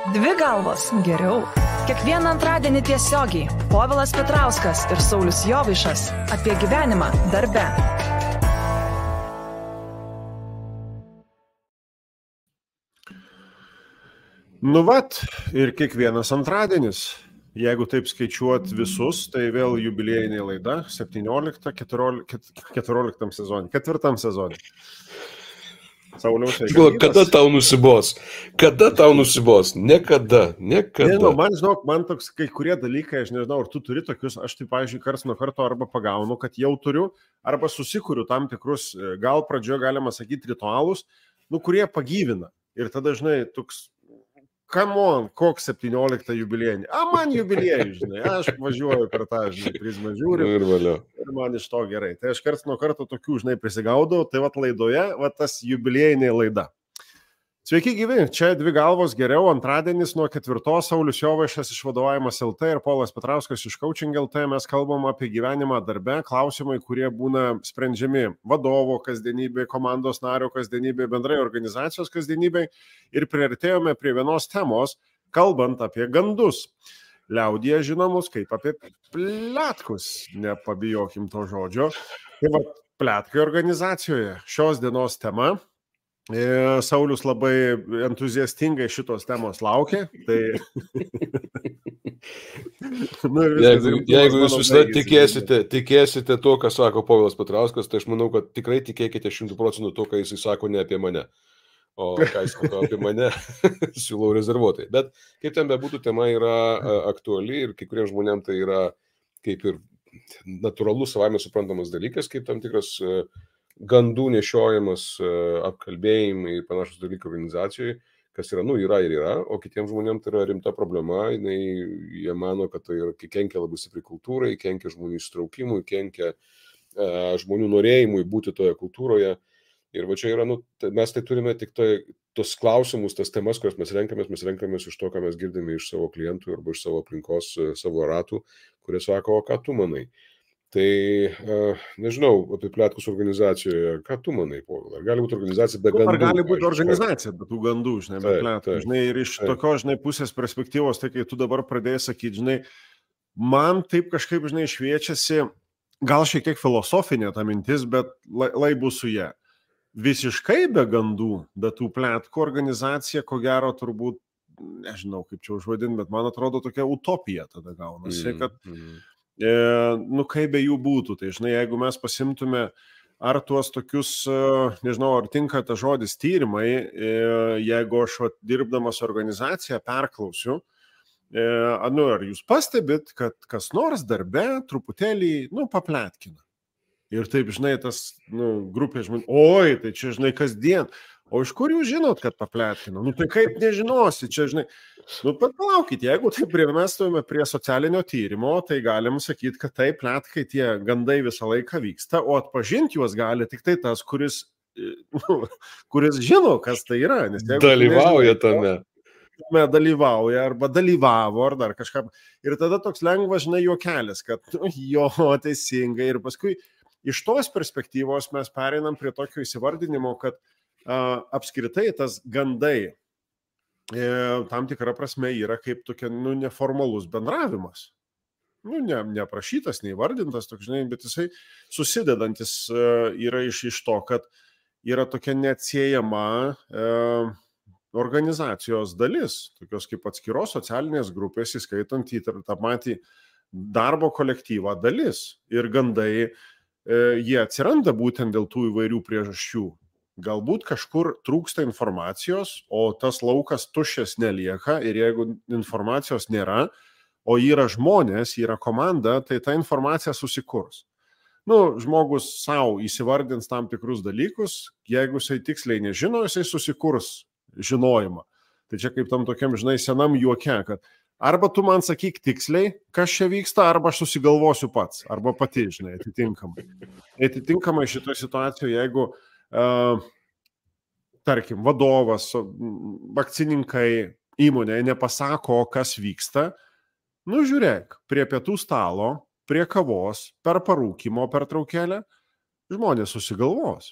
Dvi galvos geriau. Kiekvieną antradienį tiesiogiai Povilas Petrauskas ir Saulius Jovaišas apie gyvenimą darbe. Nu vat, ir kiekvienas antradienis. Jeigu taip skaičiuot visus, tai vėl jubiliejinė laida 17, 14 sezonė, 4 sezonė. Sauliaus, kada tau nusibos? Kada tau nusibos? Niekada. Nežinau, man toks kai kurie dalykai, aš nežinau, ar tu turi tokius, aš tai, pavyzdžiui, karts nuo karto arba pagaunu, kad jau turiu, arba susikuriu tam tikrus, gal pradžioje galima sakyti, ritualus, kurie pagyvina. Ir tada, žinai, toks, come on, koks 17 jubiliejinį. Man jubiliejų, žinai, aš važiuoju per tą, žinai, prizmą žiūriu ir man iš to gerai. Tai aš karts nuo karto tokių, žinai, prisigaudau, tai vat laidoje, vat tas jubiliejinė laida. Sveiki gyvi, čia Dvi galvos geriau, antradienis nuo 4, Saulius Jovaišas iš Vadovavimas LT ir Povilas Petrauskas iš Coaching LT. Mes kalbam apie gyvenimą darbe, klausimai, kurie būna sprendžiami vadovo kasdienybė, komandos nario kasdienybė, bendrai organizacijos kasdienybė. Ir priartėjome prie vienos temos, kalbant apie gandus. Liaudyje žinomus kaip apie pletkus, nepabijokim to žodžio. Tai va, pletkai organizacijoje. Šios dienos tema. Saulius labai entuziastingai šitos temos laukia. Tai... Jeigu jūs visada tikėsite to, ką sako Povilas Petrauskas, tai aš manau, kad tikrai tikėkite 100% to, ką jis sako ne apie mane. O ką jis sako apie mane, siūlau rezervuotai. Bet kaip ten bebūtų, tema yra aktuali ir kai kuriems žmonėms tai yra kaip ir natūralus, savaime suprantamas dalykas, kaip tam tikras gandų nešiojimas, apkalbėjimai ir panašus dalykai organizacijoje, kas yra, yra ir yra, o kitiems žmonėms tai yra rimta problema, jie mano, kad tai kenkia labai stipriai kultūrai, kenkia žmonių įsitraukimui, kenkia žmonių norėjimui būti toje kultūroje. Ir va čia yra, mes tai turime tik tos klausimus, tas temas, kurias mes renkamės iš to, ką mes girdime iš savo klientų arba iš savo aplinkos, savo ratų, kurie sako, o ką tu manai? Tai nežinau, apie pletkus organizacijoje, ką tu manai, Povilai? Ar gali būti organizacija be gandų? Ar gali būti organizacija be tų gandų, žinai, be pletkų? Žinai, ir iš tokios, žinai, pusės perspektyvos, tai kai tu dabar pradėjai sakyti, žinai, man taip kažkaip, žinai, šviečiasi, gal šiek tiek filosofinė ta mintis, bet lai bus su ją. Visiškai be gandų, be tų pletkų organizacija, ko gero turbūt, nežinau, kaip čia užvadinti, bet man atrodo tokia utopija tada gaunasi, kad kaip be jų būtų. Tai, žinai, jeigu mes pasimtume ar tuos tokius, nežinau, ar tinka ta žodis tyrimai, jeigu aš dirbdamas organizaciją perklausiu, ar jūs pastebit, kad kas nors darbe truputėlį, papletkina. Ir taip, žinai, tas, grupė žmonių, oi, tai čia, žinai, kasdien. O iš kur jūs žinot, kad papletkina? Tai kaip nežinosi, čia, žinai, bet palaukit, jeigu taip mes stovime prie socialinio tyrimo, tai galim sakyti, kad taip, pletkai, tie gandai visą laiką vyksta, o atpažinti juos gali tik tai tas, kuris žino, kas tai yra. Nes dalyvauja tame. Dalyvauja arba dalyvavo ar dar kažką. Ir tada toks lengvas, žinai, juokelis, kad jo, teisingai. Ir paskui iš tos perspektyvos mes pereinam prie tokio įsivardinimo, kad apskritai tas gandai tam tikrą prasme yra kaip tokia, neformalus bendravimas. Neaprašytas, neįvardintas, toks, žinai, bet jisai susidedantis yra iš to, kad yra tokia neatsiejama organizacijos dalis, tokios kaip atskiros socialinės grupės, įskaitant į tą patį darbo kolektyvą dalis. Ir gandai, jie atsiranda būtent dėl tų įvairių priežasčių. Galbūt kažkur trūksta informacijos, o tas laukas tuščias nelieka ir jeigu informacijos nėra, o yra žmonės, yra komanda, tai ta informacija susikurs. Žmogus savo įsivardins tam tikrus dalykus, jeigu jisai tiksliai nežino, jisai susikurs žinojimą. Tai čia kaip tam tokiam, žinai, senam juoke, kad arba tu man sakyk tiksliai, kas čia vyksta, arba aš susigalvosiu pats, arba pati, žinai, atitinkamai. Atitinkamai šitoje situacijoje, jeigu tarkim, vadovas, akcininkai įmonėje nepasako, kas vyksta, žiūrėk, prie pietų stalo, prie kavos, per parūkymo pertraukėlę, žmonės susigalvos.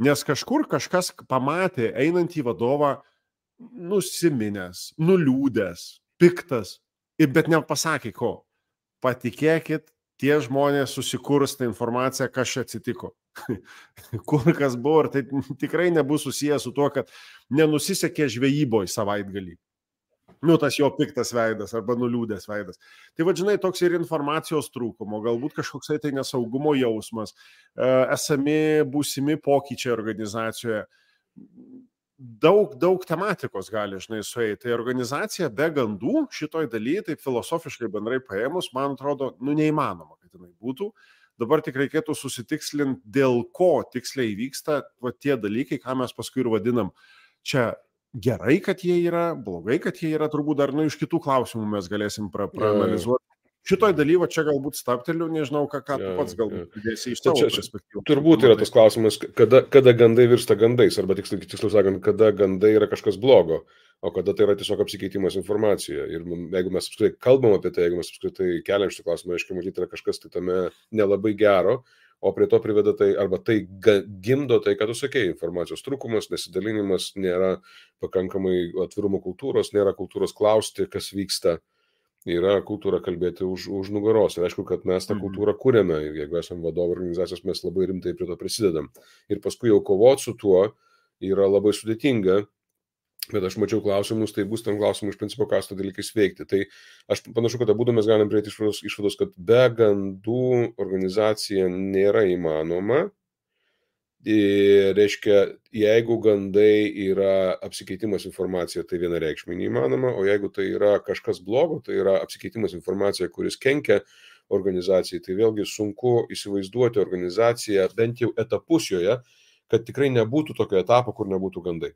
Nes kažkur kažkas pamatė einantį vadovą nusiminęs, nuliūdęs, piktas, bet nepasakė ko. Patikėkit, tie žmonės susikurs tą informaciją, kas čia atsitiko. Kur kas buvo, ir tai tikrai nebus susijęs su tuo, kad nenusisekė žvejyboje savaitgalį. Tas jo piktas veidas arba nuliūdęs veidas. Tai žinai, toks ir informacijos trūkumo, galbūt kažkoksai tai nesaugumo jausmas, esami būsimi pokyčiai organizacijoje. Daug tematikos gali, žinai, sueiti. Tai organizacija be gandų šitoj daly, taip filosofiškai bendrai paėmus, man atrodo, neįmanoma, kad jinai būtų. Dabar tik reikėtų susitikslinti, dėl ko tiksliai vyksta tie dalykai, ką mes paskui ir vadinam. Čia gerai, kad jie yra, blogai, kad jie yra, turbūt dar iš kitų klausimų mes galėsim praanalizuoti. Šitoj daly, čia galbūt stapteliu, nežinau, ką tu pats galbūt pridėsi iš savo perspektyvos. Turbūt yra tas klausimas, kada gandai virsta gandais, arba tiksliau sakant, kada gandai yra kažkas blogo, o kada tai yra tiesiog apsikeitimas informacija. Ir jeigu mes apskritai kalbam apie tai, jeigu mes apskritai keliam šitą klausimą, aiškiai matyti, yra kažkas tai tame nelabai gero, o prie to priveda tai, arba tai gimdo tai, ką tu sakei, informacijos trūkumas, nesidalinimas, nėra pakankamai atvirumo kultūros, nėra kultūros klausti, kas vyksta. Yra kultūra kalbėti už nugaros. Ir aišku, kad mes tą kultūrą kūrėme. Ir jeigu esame vadovų organizacijos, mes labai rimtai prie to prisidedam. Ir paskui jau kovoti su tuo yra labai sudėtinga. Bet aš mačiau klausimus, tai bus tam klausimų iš principo, ką su to dalykais veikti. Tai aš panašu, kad abudu mes galim prieiti išvados, kad be gandų organizacija nėra įmanoma. Reiškia, jeigu gandai yra apsikeitimas informacija, tai vienareikšmiai neįmanoma, o jeigu tai yra kažkas blogo, tai yra apsikeitimas informacija, kuris kenkia organizacijai, tai vėlgi sunku įsivaizduoti organizaciją, bent jau etapus joje, kad tikrai nebūtų tokio etapo, kur nebūtų gandai.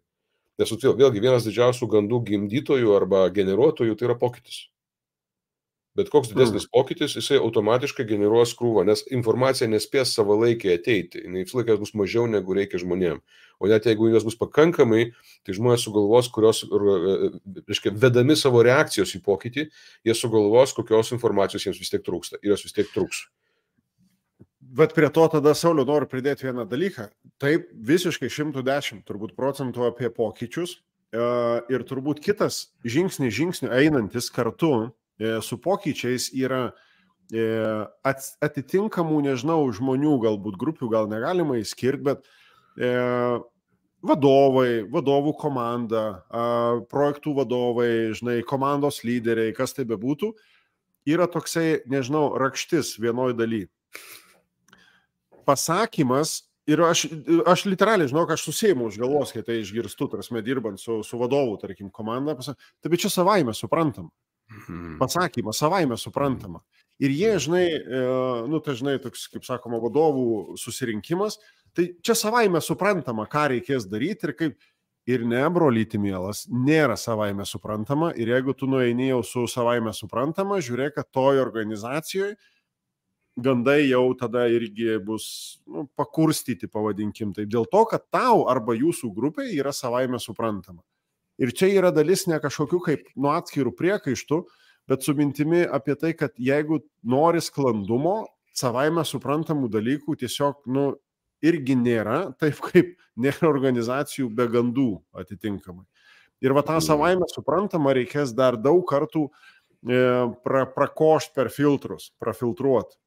Nes vėlgi vienas didžiausių gandų gimdytojų arba generuotojų tai yra pokytis. Bet koks didesnis pokytis, jisai automatiškai generuos krūvą, nes informacija nespės savalaikiai ateiti, jinai vis laikas bus mažiau negu reikia žmonėm. O net jeigu jos bus pakankamai, tai žmonės sugalvos, kurios, reiškia, vedami savo reakcijos į pokytį, jie sugalvos, kokios informacijos jiems vis tiek trūksta ir jos vis tiek trūks. Bet prie to tada, Sauliau, noriu pridėti vieną dalyką. Taip, visiškai 110 turbūt procentų apie pokyčius ir turbūt kitas žingsnių einantis kartu su pokyčiais yra atitinkamų, nežinau, žmonių, galbūt grupių gal negalima įskirti, bet vadovų komanda, projektų vadovai, žinai, komandos lyderiai, kas tai bebūtų, yra toksai, nežinau, rakštis vienoj daly. Pasakymas, ir aš literaliai, žinau, aš susėjimu už galvos, kai tai išgirstu, tarsi dirbant su vadovu, tarkim, komanda, tai čia savaime suprantama. Pasakymas savaime suprantama. Ir jie, žinai, tai žinai, toks, kaip sakoma, vadovų susirinkimas, tai čia savaime suprantama, ką reikės daryti ir kaip. Ir ne, brolyti mielas, nėra savaime suprantama. Ir jeigu tu nueini jau su savaime suprantama, žiūrėk, kad toj organizacijoje gandai jau tada irgi bus pakurstyti, pavadinkim. Tai dėl to, kad tau arba jūsų grupė yra savaime suprantama. Ir čia yra dalis ne kažkokių kaip nuo atskirų priekaištų, bet su mintimi apie tai, kad jeigu nori sklandumo, savaime suprantamų dalykų tiesiog, irgi nėra, taip kaip nėra organizacijų be gandų atitinkamai. Ir tą savaime suprantamą reikės dar daug kartų prakošti per filtrus, prafiltruoti.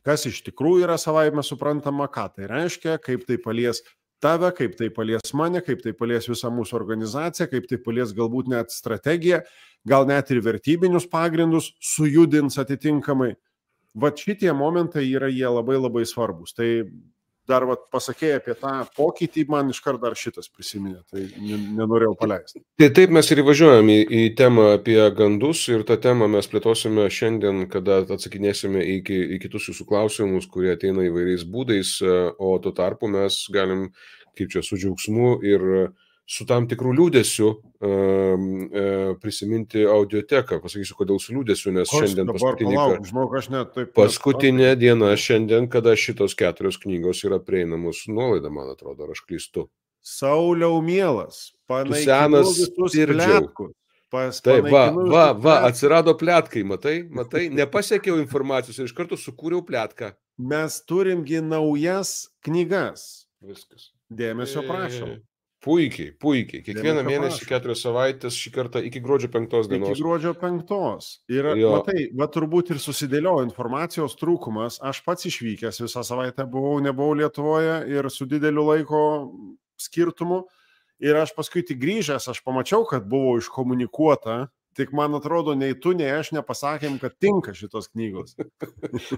Kas iš tikrųjų yra savaime suprantama, ką tai reiškia, kaip tai palies tave, kaip tai palies mane, kaip tai palies visą mūsų organizaciją, kaip tai palies galbūt net strategiją, gal net ir vertybinius pagrindus sujudins atitinkamai. Šitie momentai yra jie labai labai svarbus. Tai dar pasakėjai apie tą pokytį, man iškart dar šitas prisiminė, tai nenorėjau paleisti. Tai taip mes ir įvažiuojam į temą apie gandus ir tą temą mes plėtosime šiandien, kada atsakinėsime į kitus jūsų klausimus, kurie ateina įvairiais būdais, o tuo tarpu mes galim, kaip čia, su džiaugsmu ir su tam tikrų liūdėsiu prisiminti audioteką. Pasakysiu, kodėl su liūdėsiu, nes šiandien paskutinė diena šiandien, kada šitos 4 knygos yra prieinamos nuolaida, man atrodo, ar aš klystu. Sauliau mielas, panaikinu visus pletkus. Taip, atsirado pletkai, matai, nepasiekiau informacijos ir iš karto sukūriau pletką. Mes turimgi naujas knygas. Viskas. Dėmesio prašom. Puikiai. Kiekvieną mėnesį 4 savaitės, šį kartą iki gruodžio 5 dienos. Iki gruodžio 5. Ir matai, turbūt ir susidėliojo informacijos trūkumas. Aš pats išvykęs visą savaitę nebuvau Lietuvoje ir su dideliu laiko skirtumu. Ir aš paskui tik grįžęs, aš pamačiau, kad buvo iškomunikuota. Tik man atrodo, nei tu, nei aš nepasakėm, kad tinka šitos knygos.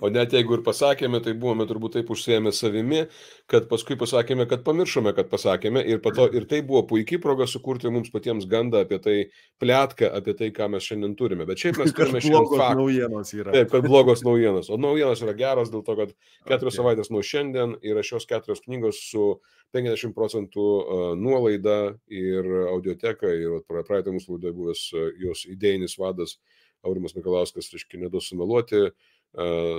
O net jeigu ir pasakėme, tai buvome turbūt taip užsiėmę savimi, kad paskui pasakėme, kad pamiršome, kad pasakėme. Ir tai buvo puikiai proga sukurti mums patiems gandą apie tai, pletką apie tai, ką mes šiandien turime. Bet šiaip mes turime šiandien faktą. Naujienos yra. Taip, kad blogos naujienos. O naujienos yra geros dėl to, kad 4 savaitės nuo šiandien yra šios 4 knygos su 50% nuolaida ir audioteka. Ir praeitą mūsų laidoje buvęs jos idėjinis vadas Aurimas Mikalauskas, reiškia, neduos sumeluoti,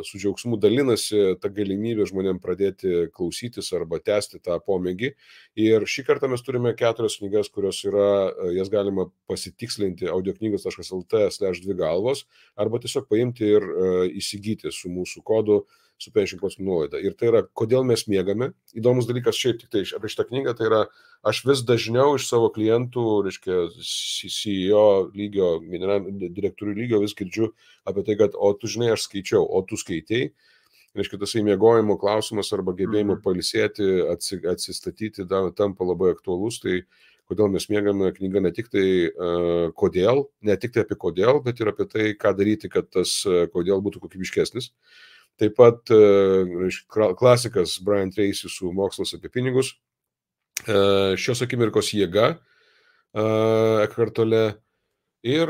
su džiaugsmu dalinasi tą galimybę žmonėm pradėti klausytis arba tęsti tą pomėgį. Ir šį kartą mes turime 4 knygas, kurios yra, jas galima pasitikslinti audioknygos.lt/2 galvos arba tiesiog paimti ir įsigyti su mūsų kodu su 50% nuolaida. Ir tai yra, kodėl mes miegame. Įdomus dalykas šiaip tik tai apie šitą knygą, tai yra, aš vis dažniau iš savo klientų, reiškia, CEO lygio, generalinių direktorių lygio vis girdžiu apie tai, kad, o tu žinai, aš skaičiau, o tu skaitei. Reiškia, tasai miegojimo klausimas arba gebėjimo pailsėti, atsistatyti tampa labai aktualus. Tai kodėl mes miegame, knyga ne tik tai kodėl, ne tik tai apie kodėl, bet ir apie tai, ką daryti, kad tas kodėl būtų kokybiškesnis. Taip pat klasikas Brian Tracy su Mokslas apie pinigus, Šios akimirkos jėga, Eckhart Tolle ir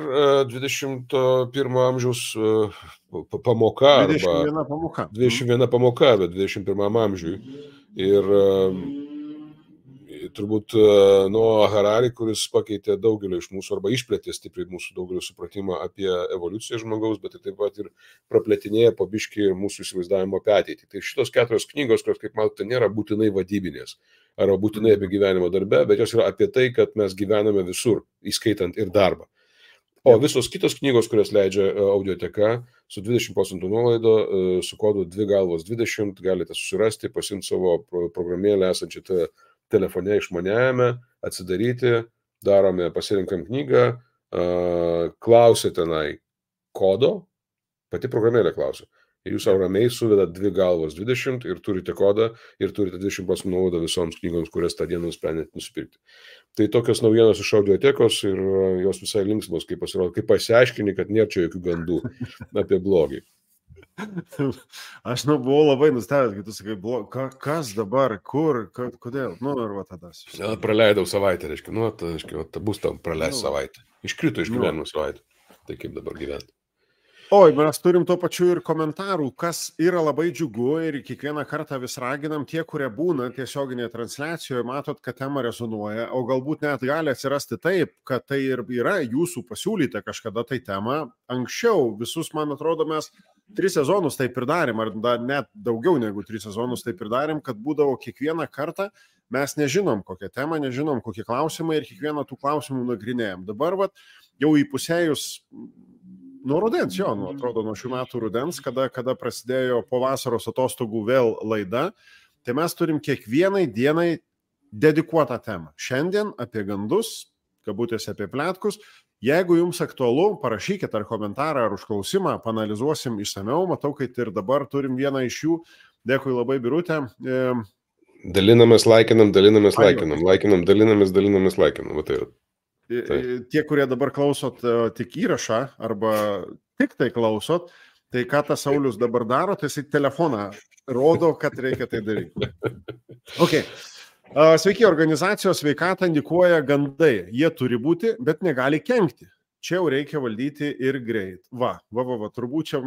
21 amžiaus pamoka. 21 pamoka, bet 21 amžiui. Ir turbūt nuo Harari, kuris pakeitė daugelį iš mūsų arba išplėtė stipriai mūsų daugelį supratimą apie evoliuciją žmogaus, bet taip pat ir praplėtinėja po biškį mūsų įsivaizdavimo apie ateitį. Tai šitos 4 knygos, kurios, kaip matote, nėra būtinai vadybinės arba būtinai apie gyvenimo darbę, bet jos yra apie tai, kad mes gyvename visur, įskaitant ir darbą. O visos kitos knygos, kurias leidžia audioteka, su 20% nuolaido, su kodu 2 galvos 20, galite susirasti, pasimti savo programėlę esančią telefone išmaniajame, atsidaryti, darome, pasirinkam knygą, klausė tenai kodo, pati programėlė klausia. Ir jūs savo ramiai suvedat 2 galvos 20 ir turite kodą ir turite 20% nuolaidą visoms knygoms, kurias tą dieną nusprendėte nusipirkti. Tai tokios naujienos iš audiotekos ir jos visai linksmos, kaip pasirodo, kaip pasiaiškini, kad nėra čia jokių gandų apie blogį. Aš buvau labai nustebęs, kai tu sakai, kas dabar, kur, kodėl, ir va tada. Praleidau savaitę, reiškia, bus tam praleis savaitę. Iškrito iš gyvenimo savaitę. Tai kaip dabar gyventi. Oi, mes turim tuo pačiu ir komentarų, kas yra labai džiugu ir kiekvieną kartą vis raginam tie, kurie būna tiesioginėje transliacijoje, matot, kad tema rezonuoja, o galbūt net gali atsirasti taip, kad tai ir yra jūsų pasiūlyta kažkada tai tema. Anksčiau visus, man atrodo, mes 3 sezonus taip ir darėm, ar net daugiau negu 3 sezonus taip ir darėm, kad būdavo kiekvieną kartą mes nežinom kokią temą, nežinom kokie klausimai ir kiekvieną tų klausimų nagrinėjom. Dabar jau įpusėjus nuo rudens, atrodo, nuo šių metų rudens, kada prasidėjo po vasaros atostogų vėl laida, tai mes turim kiekvienai dienai dedikuotą temą. Šiandien apie gandus, kabutėse apie pletkus. Jeigu jums aktualu, parašykite ar komentarą, ar užklausimą, panalizuosim išsameu. Matau, kad ir dabar turim vieną iš jų. Dėkui labai, Birutė. Dalinamės, laikinam. Va tai yra. Tie, kurie dabar klausot tik įrašą arba tik tai klausot, tai ką tas Saulius dabar daro, tai jisai telefoną rodo, kad reikia tai daryti. Okay. Sveiki, organizacijos sveikatą indikuoja gandai. Jie turi būti, bet negali kenkti. Čia jau reikia valdyti ir greit. Turbūt čia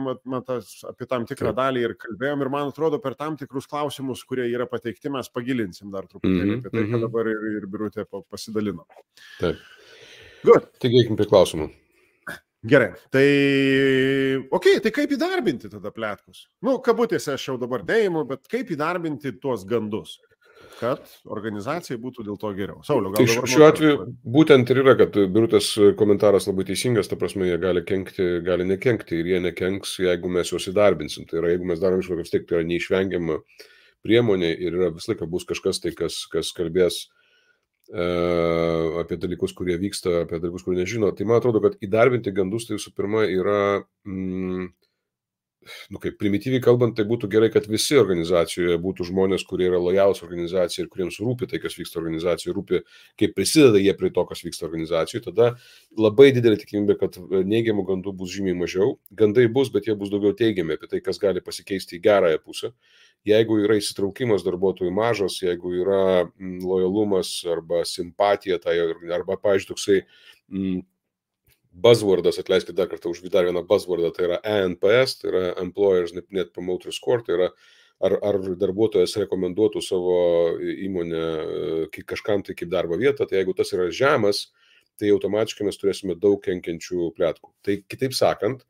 apie tam tikrą dalį ir kalbėjom ir man atrodo per tam tikrus klausimus, kurie yra pateikti, mes pagilinsim dar truputėlį apie tai, kad dabar ir Birutė pasidalino. Taip. Good. Tik eikim prie klausimų. Gerai, tai tai kaip įdarbinti tada pletkus? Kabutėse aš jau dabar dėjimu, bet kaip įdarbinti tuos gandus, kad organizacijai būtų dėl to geriau. Sauliau, gal dabar... Šiuo atveju būtent ir yra, kad Birutės komentaras labai teisingas, ta prasme, jie gali kenkti, gali nekenkti ir jie nekenks, jeigu mes juos įdarbinsim. Tai yra, jeigu mes darom išvadą, vis tiek tai yra neišvengiama priemonė ir yra visą laiką bus kažkas tai, kas kalbės apie dalykus, kurie vyksta, apie dalykus, kurie nežino. Tai man atrodo, kad įdarbinti gandus tai visų pirma yra kaip primityviai kalbant, tai būtų gerai, kad visi organizacijoje būtų žmonės, kurie yra lojalūs organizacijai ir kuriems rūpi tai, kas vyksta organizacijoje, rūpi, kaip prisideda jie prie to, kas vyksta organizacijoje. Tada labai didelė tikimybė, kad neigiamų gandų bus žymiai mažiau. Gandai bus, bet jie bus daugiau teigiami apie tai, kas gali pasikeisti į gerąją pusę. Jeigu yra įsitraukimas darbuotojų mažas, jeigu yra lojalumas arba simpatija, tai, arba, pavyzdžiui, toksai buzzwordas, atleiskite dar kartą už dar vieną buzzwordą, tai yra ENPS, tai yra Employers Net Promoter Score, tai yra ar darbuotojas rekomenduotų savo įmonę kažkam tai kaip darbo vietą, tai jeigu tas yra žemas, tai automatiškai mes turėsime daug kenkiančių pletkų. Tai kitaip sakant,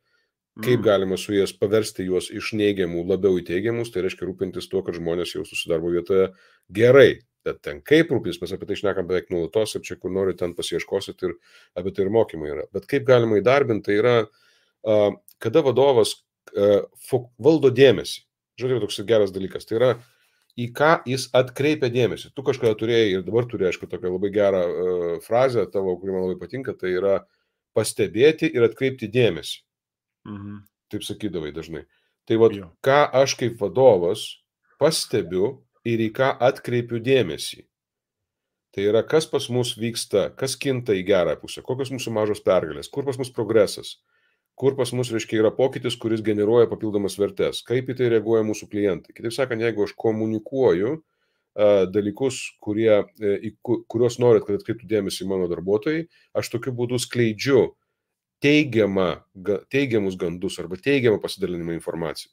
kaip galima su jas paversti juos iš neigiamų labiau į teigiamus, tai reiškia rūpintis tuo, kad žmonės jaustųsi darbo vietoje gerai. Bet ten kaip rūpintis, mes apie tai šnekam beveik nuolatos ir čia kur nori ten pasiieškosit ir apie tai ir mokymai yra. Bet kaip galima įdarbinti, tai yra, kada vadovas valdo dėmesį. Žiūrėk, toks geras dalykas. Tai yra, į ką jis atkreipia dėmesį. Tu kažkada turėjai ir dabar turi, aišku, tokią labai gerą frazę tavo, kuri man labai patinka, tai yra pastebėti ir atkreipti dėmesį. Taip sakydavai dažnai. Tai ką aš kaip vadovas pastebiu ir į ką atkreipiu dėmesį. Tai yra, kas pas mus vyksta, kas kinta į gerą pusę, kokios mūsų mažos pergalės, kur pas mus progresas, kur pas mus, reiškia, yra pokytis, kuris generuoja papildomas vertės, kaip į tai reaguoja mūsų klientai. Kitaip sakant, jeigu aš komunikuoju dalykus, kuriuos norit, kad atkreiptų dėmesį mano darbuotojai, aš tokiu būdu skleidžiu teigiamus gandus arba teigiamą pasidalinimą informaciją.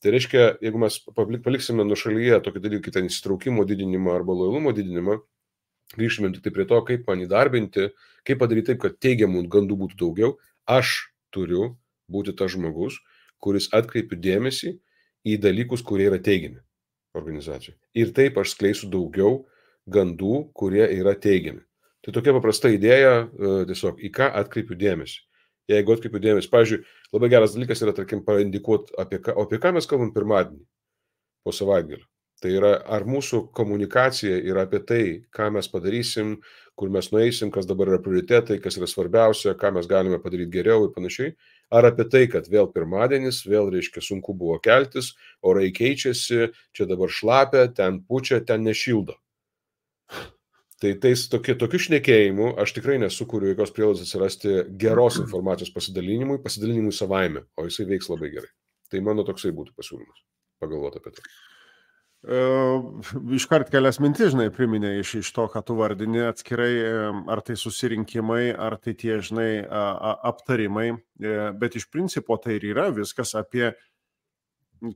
Tai reiškia, jeigu mes paliksime nuo šalyje tokį dalyką, ten įsitraukimo didinimą arba lojalumo didinimą, grįžtume tik tai prie to, kaip man įdarbinti, kaip padaryti taip, kad teigiamų gandų būtų daugiau, aš turiu būti tas žmogus, kuris atkreipiu dėmesį į dalykus, kurie yra teigiami organizacijoje. Ir taip aš skleisiu daugiau gandų, kurie yra teigiami. Tai tokia paprasta idėja, tiesiog į ką atkreipiu dėmesį. Jeigu atkreipiu dėmesį, pavyzdžiui, labai geras dalykas yra, tarkim, paindikuoti, apie ką mes kalbam pirmadienį po savaitgalio. Tai yra, ar mūsų komunikacija yra apie tai, ką mes padarysim, kur mes nueisim, kas dabar yra prioritetai, kas yra svarbiausia, ką mes galime padaryti geriau ir panašiai. Ar apie tai, kad vėl pirmadienis, vėl, reiškia, sunku buvo keltis, orai keičiasi, čia dabar šlapia, ten pučia, ten nešildo. Tai tokiu šnekėjimu aš tikrai nesukuriu jokios prielaidos atsirasti geros informacijos pasidalinimui savaime, o jisai veiks labai gerai. Tai mano toksai būtų pasiūlymas, pagalvoti apie tai. Iškart kelias mintis, žinai, priminė iš to, ką tu vardini atskirai, ar tai susirinkimai, ar tai tie, žinai, aptarimai, bet iš principo tai ir yra viskas apie,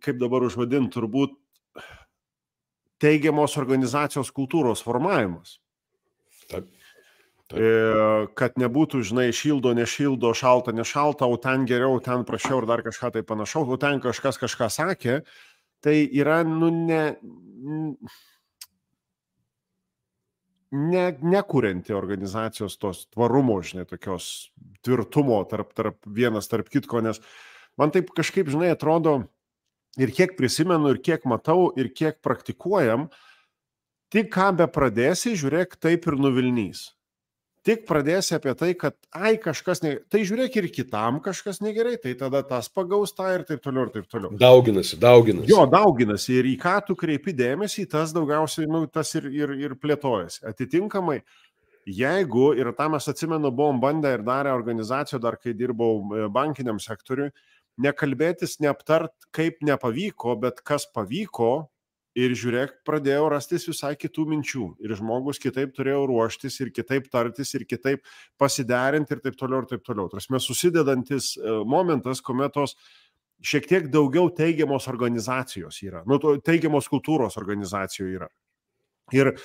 kaip dabar užvadint, turbūt teigiamos organizacijos kultūros formavimas. Taip. Kad nebūtų, žinai, šildo, nešildo, šalta, nešalta, o ten geriau, ten prašiau ir dar kažką tai panašaus, o ten kažkas kažką sakė, tai yra, nekurianti organizacijos tos tvarumo, žinai, tokios tvirtumo tarp vienas tarp kitko, nes man taip kažkaip, žinai, atrodo, ir kiek prisimenu, ir kiek matau, ir kiek praktikuojam, tik ką be pradėsi, žiūrėk, taip ir nuvilnys. Tik pradėsi apie tai, kad kažkas negerai, tai žiūrėk ir kitam kažkas negerai, tai tada tas pagaus tą ir taip toliau, ir taip toliau. Dauginasi. Jo, dauginasi ir į ką tu kreipi dėmesį, tas daugiausiai, tas ir plėtojasi. Atitinkamai, jeigu, ir tą mes atsimenu, buvom bandę ir darę organizaciją, dar kai dirbau bankiniam sektoriui, nekalbėtis, neaptart, kaip nepavyko, bet kas pavyko. Ir žiūrėk, pradėjau rastis visai kitų minčių. Ir žmogus kitaip turėjo ruoštis, ir kitaip tartis, ir kitaip pasiderinti, ir taip toliau, ir taip toliau. Tarsi susidedantis momentas, kuomet tos šiek tiek daugiau teigiamos organizacijos yra. Teigiamos kultūros organizacijų yra. Ir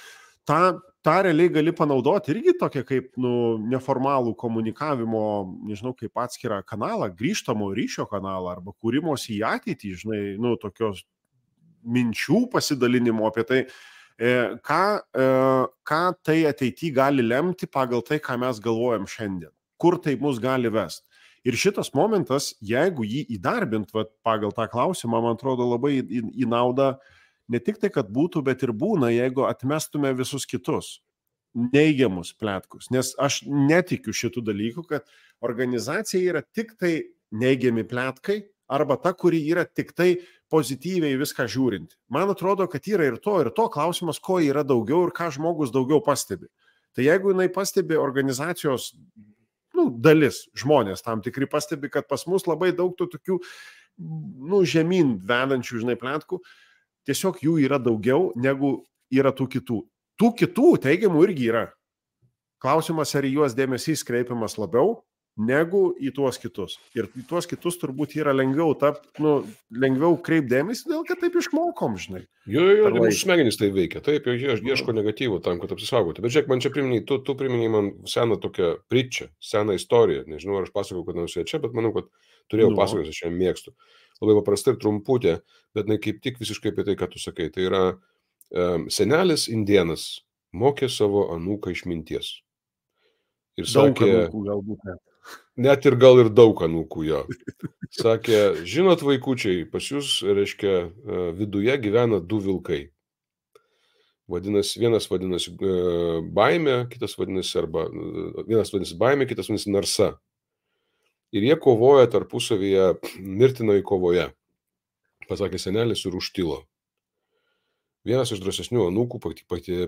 tą realiai gali panaudoti irgi tokia kaip neformalų komunikavimo, nežinau, kaip atskirą kanalą, grįžtamo ryšio kanalą, arba kūrimosi į ateitį, žinai, tokios minčių pasidalinimo apie tai, ką tai ateityje gali lemti pagal tai, ką mes galvojam šiandien, kur tai mus gali vesti. Ir šitas momentas, jeigu jį įdarbint pagal tą klausimą, man atrodo labai į naudą ne tik tai, kad būtų, bet ir būna, jeigu atmestume visus kitus. neigiamus pletkus, nes aš netikiu šitų dalykų, kad organizacija yra tik tai neigiami pletkai arba ta, kuri yra tik tai pozityviai viską žiūrinti. Man atrodo, kad yra ir to klausimas, ko yra daugiau ir ką žmogus daugiau pastebi. Tai jeigu jinai pastebi organizacijos dalis, žmonės tam tikri pastebi, kad pas mus labai daug tų tokių žemyn vedančių, pletkų, tiesiog jų yra daugiau negu yra tų kitų. Tų kitų teigiamų irgi yra. Klausimas, ar į juos dėmesys kreipiamas labiau negu į tuos kitus. Ir į tuos kitus turbūt yra lengviau lengviau kreipdėmesį, dėl kad taip išmokom, žinai. Jo, mūsų smegenys tai veikia. Taip, ieško negatyvų tam, kad apsisaugoti. Bet žiūrėk, man čia priminiai, tu priminiai man seną tokią pritčią, seną istoriją. Nežinau, ar aš pasakau, kad nenusiu čia, bet manau, kad turėjau pasakoti, aš ją mėgstu. Labai paprastai ir trumputė, bet kaip tik visiškai apie tai, ką tu sakai. Tai yra senelis indėnas mokė savo anūką išminties. Ir sakė, galbūt net. Net ir gal ir daug anūkų jo. Sakė, žinot vaikučiai, pas jūs, reiškia, viduje gyvena du vilkai. Vienas vadinasi baimė, kitas vadinasi baimė, kitas vadinasi narsa. Ir jie kovoja tarpusavyje mirtinoje kovoje. Pasakė senelis ir užtilo. Vienas iš drąsesnių anūkų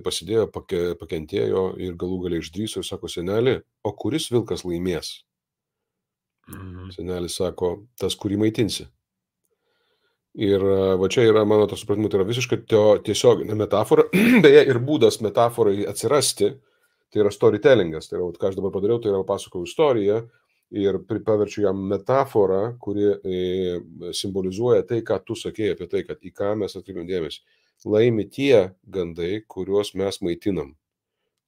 pasidėjo, pakentėjo ir galų galiai išdrįso ir sako, seneli, o kuris vilkas laimės? Senelis sako, tas, kurį maitinsi. Ir va čia yra, mano to supratimu, tai yra visiškai tiesioginė metafora, beje, ir būdas metaforai atsirasti, tai yra storytellingas. Tai yra, ką aš dabar padariau, tai yra pasakojau istoriją ir paverčiu jam metaforą, kuri simbolizuoja tai, ką tu sakėjai apie tai, kad į ką mes atkreipiam dėmesį. Laimi tie gandai, kuriuos mes maitinam.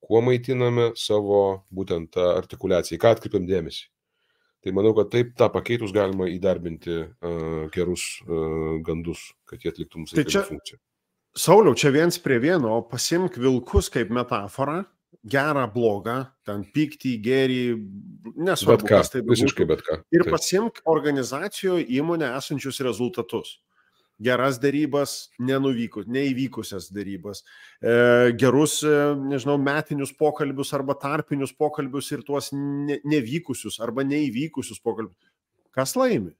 Kuo maitiname savo būtent tą artikuliaciją, ką atkreipiam dėmesį. Tai manau, kad taip tą pakeitus galima įdarbinti gerus gandus, kad jie atliktų mums reikiamą funkciją. Sauliau, čia viens prie vieno, pasimk vilkus kaip metaforą, gerą, blogą, ten pyktį, gėrį, nesvarbu, kas tai būtų. Visiškai bet ką. Ir pasimk organizacijoje įmonę esančius rezultatus. Geras darybas, neįvykusias darybas, gerus, metinius pokalbius arba tarpinius pokalbius ir tuos nevykusius arba neįvykusius pokalbius. Kas laimi?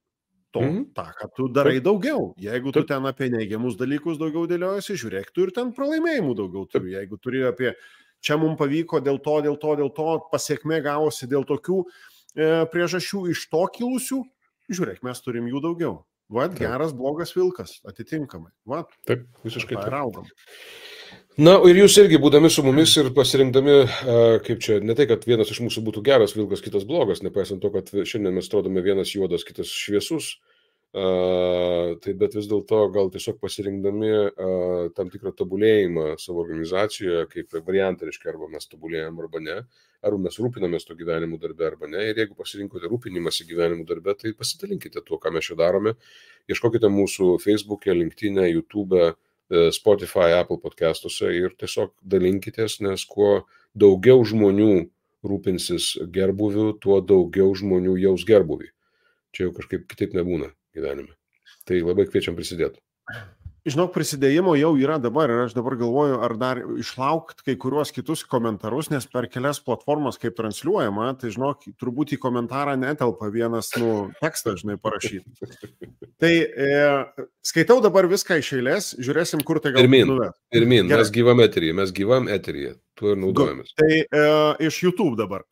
Ta, kad tu darai daugiau. Jeigu tu ten apie neigiamus dalykus daugiau dėliojasi, žiūrėk, tu ir ten pralaimėjimų daugiau turi. Jeigu turi apie čia mums pavyko dėl to, pasiekmė gavosi dėl tokių priežasčių iš to kilusių, žiūrėk, mes turim jų daugiau. Vat, geras, blogas vilkas, atitinkamai. Vat, taip, visiškai taip. Raugam. Na, ir jūs irgi būdami su mumis ir pasirinkdami, kaip čia, ne tai, kad vienas iš mūsų būtų geras vilkas, kitas blogas, nepaisant to, kad šiandien mes atrodome vienas juodas, kitas šviesus, tai bet vis dėlto gal tiesiog pasirinkdami tam tikrą tobulėjimą savo organizacijoje, kaip variantą, reiškia, arba mes tobulėjam arba ne, arba mes rūpinamės to gyvenimu darbe arba ne. Ir jeigu pasirinkote rūpinimąsi gyvenimu darbe, tai pasidalinkite tuo, ką mes čia darome. Ieškokite mūsų Facebook'e, LinkedIn'e, YouTube'e, Spotify, Apple podcastuose ir tiesiog dalinkitės, nes kuo daugiau žmonių rūpinsis gerbuviu, tuo daugiau žmonių jaus gerbuvį. Čia jau kažkaip kitaip nebūna gyvenime. Tai labai kviečiam prisidėti. Žinok, prisidėjimo jau yra dabar ir aš dabar galvoju, ar dar išlaukti kai kuriuos kitus komentarus, nes per kelias platformas kaip transliuojama, tai žinok, turbūt į komentarą netelpa vienas tekstas, parašyti. Tai skaitau dabar viską iš eilės, žiūrėsim, kur tai galbūt nuves. Pirmin, mes gyvam eteryje, tuo ir naudojamės. Tai iš YouTube dabar.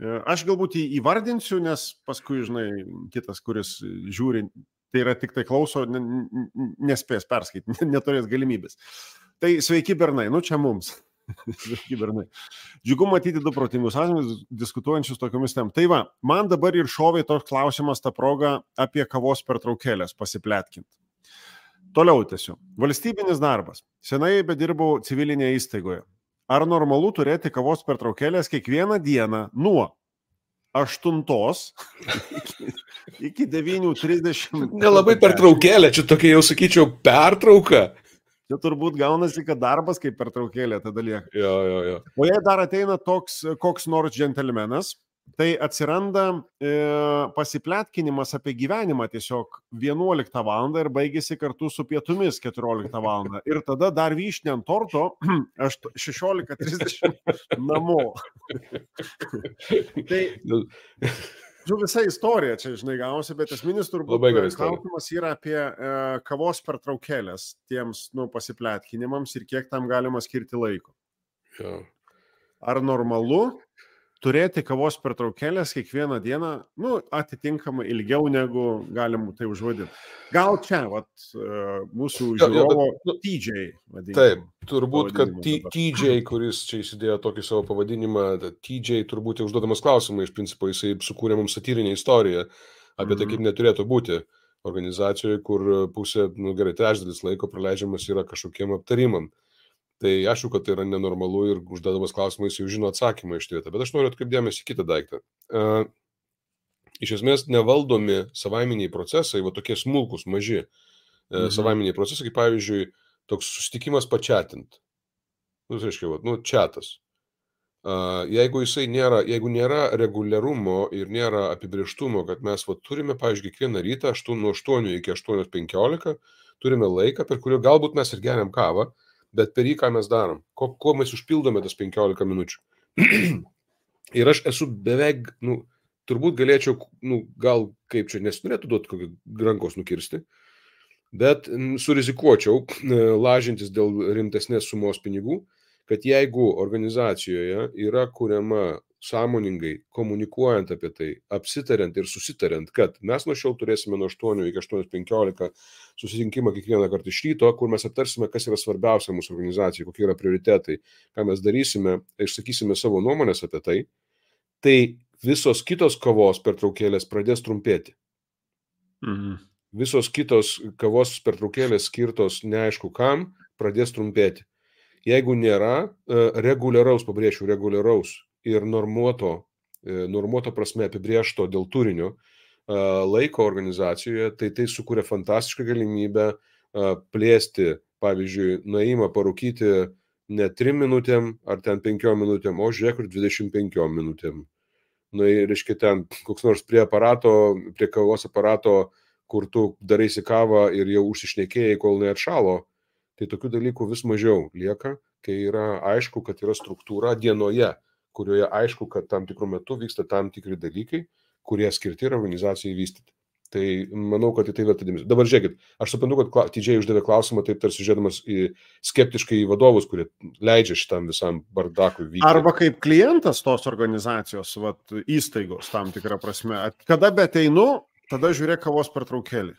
Aš galbūt įvardinsiu, nes paskui, kitas, kuris žiūri, tai yra tik tai klauso, nespės perskaityti, neturės galimybės. Tai sveiki bernai, čia mums. Sveiki bernai. Džiugu matyti du protingus asmenis diskutuojančius tokiomis temomis. Tai va, man dabar ir šovė toks klausimas tą progą apie kavos pertraukėlės pasipletkinti. Toliau tiesiog. Valstybinis darbas. Senai bedirbau civilinėje įstaigoje. Ar normalu turėti kavos pertraukėlės kiekvieną dieną nuo 8 iki 9:30. Nelabai pertraukėlė, čia tokia jau sakyčiau pertrauka. Čia turbūt gaunasi, kad darbas kaip pertraukėlė tada lieka. Jo. O jei dar ateina toks koks nors džentelmenas tai atsiranda pasipletkinimas apie gyvenimą tiesiog 11 val. Ir baigėsi kartu su pietumis 14 val. Ir tada dar vyšnė ant torto, aš 16:30 namo. Tai visa istorija čia, žinai, gausi, bet esminis turbūt klausimas yra apie kavos pertraukėlės tiems pasipletkinimams ir kiek tam galima skirti laiko. Ja. Ar normalu turėti kavos pertraukėlės kiekvieną dieną, atitinkamai ilgiau negu galim tai užvadinti. Gal čia, mūsų žiūrovo TJ vadinkim. Taip, turbūt, kad TJ, kuris čia įsidėjo tokį savo pavadinimą, TJ turbūt užduodamas klausimą, iš principo jisai sukūrė mums satyrinę istoriją apie tai, kaip neturėtų būti organizacijoje, kur pusė, gerai, trečdalis laiko praleidžiamas yra kažkokiem aptarimam. Tai aišku, kad tai yra nenormalu ir užduodamas klausimą jis jau žino atsakymą iš vietą. Bet aš noriu atkreipti dėmesį į kitą daiktą. Iš esmės nevaldomi savaiminiai procesai, tokie smulkus, maži savaiminiai procesai, kaip pavyzdžiui, toks susitikimas pačiatint. Tai reiškia, čiatas. Jeigu nėra reguliarumo ir nėra apibrėžtumo, kad mes turime, pavyzdžiui, kiekvieną rytą nuo 8 iki 8:15 turime laiką, per kurį galbūt mes ir geriam kavą, bet per jį ką mes darom, ko mes užpildome tas 15 minučių. Ir aš esu beveik, turbūt galėčiau, gal kaip čia nesinorėtų duoti kokį rankos nukirsti, bet surizikuočiau, lažintis dėl rimtesnės sumos pinigų, kad jeigu organizacijoje yra kuriama sąmoningai, komunikuojant apie tai, apsitariant ir susitariant, kad mes nuo šiol turėsime nuo 8 iki 8:15 susitinkimą kiekvieną kartą iš ryto, kur mes aptarsime, kas yra svarbiausia mūsų organizacijai, kokie yra prioritetai, ką mes darysime, išsakysime savo nuomonės apie tai, tai visos kitos kavos pertraukėlės pradės trumpėti. Visos kitos kavos pertraukėlės skirtos neaišku kam, pradės trumpėti. Jeigu nėra reguliaraus, pabrėšiu, reguliaraus ir normuoto prasme apibrėžto dėl turinio laiko organizacijoje, tai sukuria fantastišką galimybę plėsti, pavyzdžiui, nuėjimą parūkyti ne 3 minutėm ar ten 5 minutėm, o žiūrėk, 25 minutėm. Reiškia, ten koks nors prie kavos aparato, kur tu daraisi kavą ir jau užsišnekėjai, kol neatšalo, tai tokių dalykų vis mažiau lieka, kai yra aišku, kad yra struktūra dienoje, kurioje aišku, kad tam tikrų metų vyksta tam tikri dalykai, kurie skirti yra organizacijai vystyti. Tai manau, kad į tai verta dėmesio. Dabar žiūrėkit, aš suprantu, kad TJ uždavė klausimą, taip tarsi žiūrėdamas skeptiškai į vadovus, kurie leidžia šitam visam bardakui vykti. Arba kaip klientas tos organizacijos, įstaigos tam tikrą prasme. Kada beteinu, tada žiūrėk kavos pertraukėlį.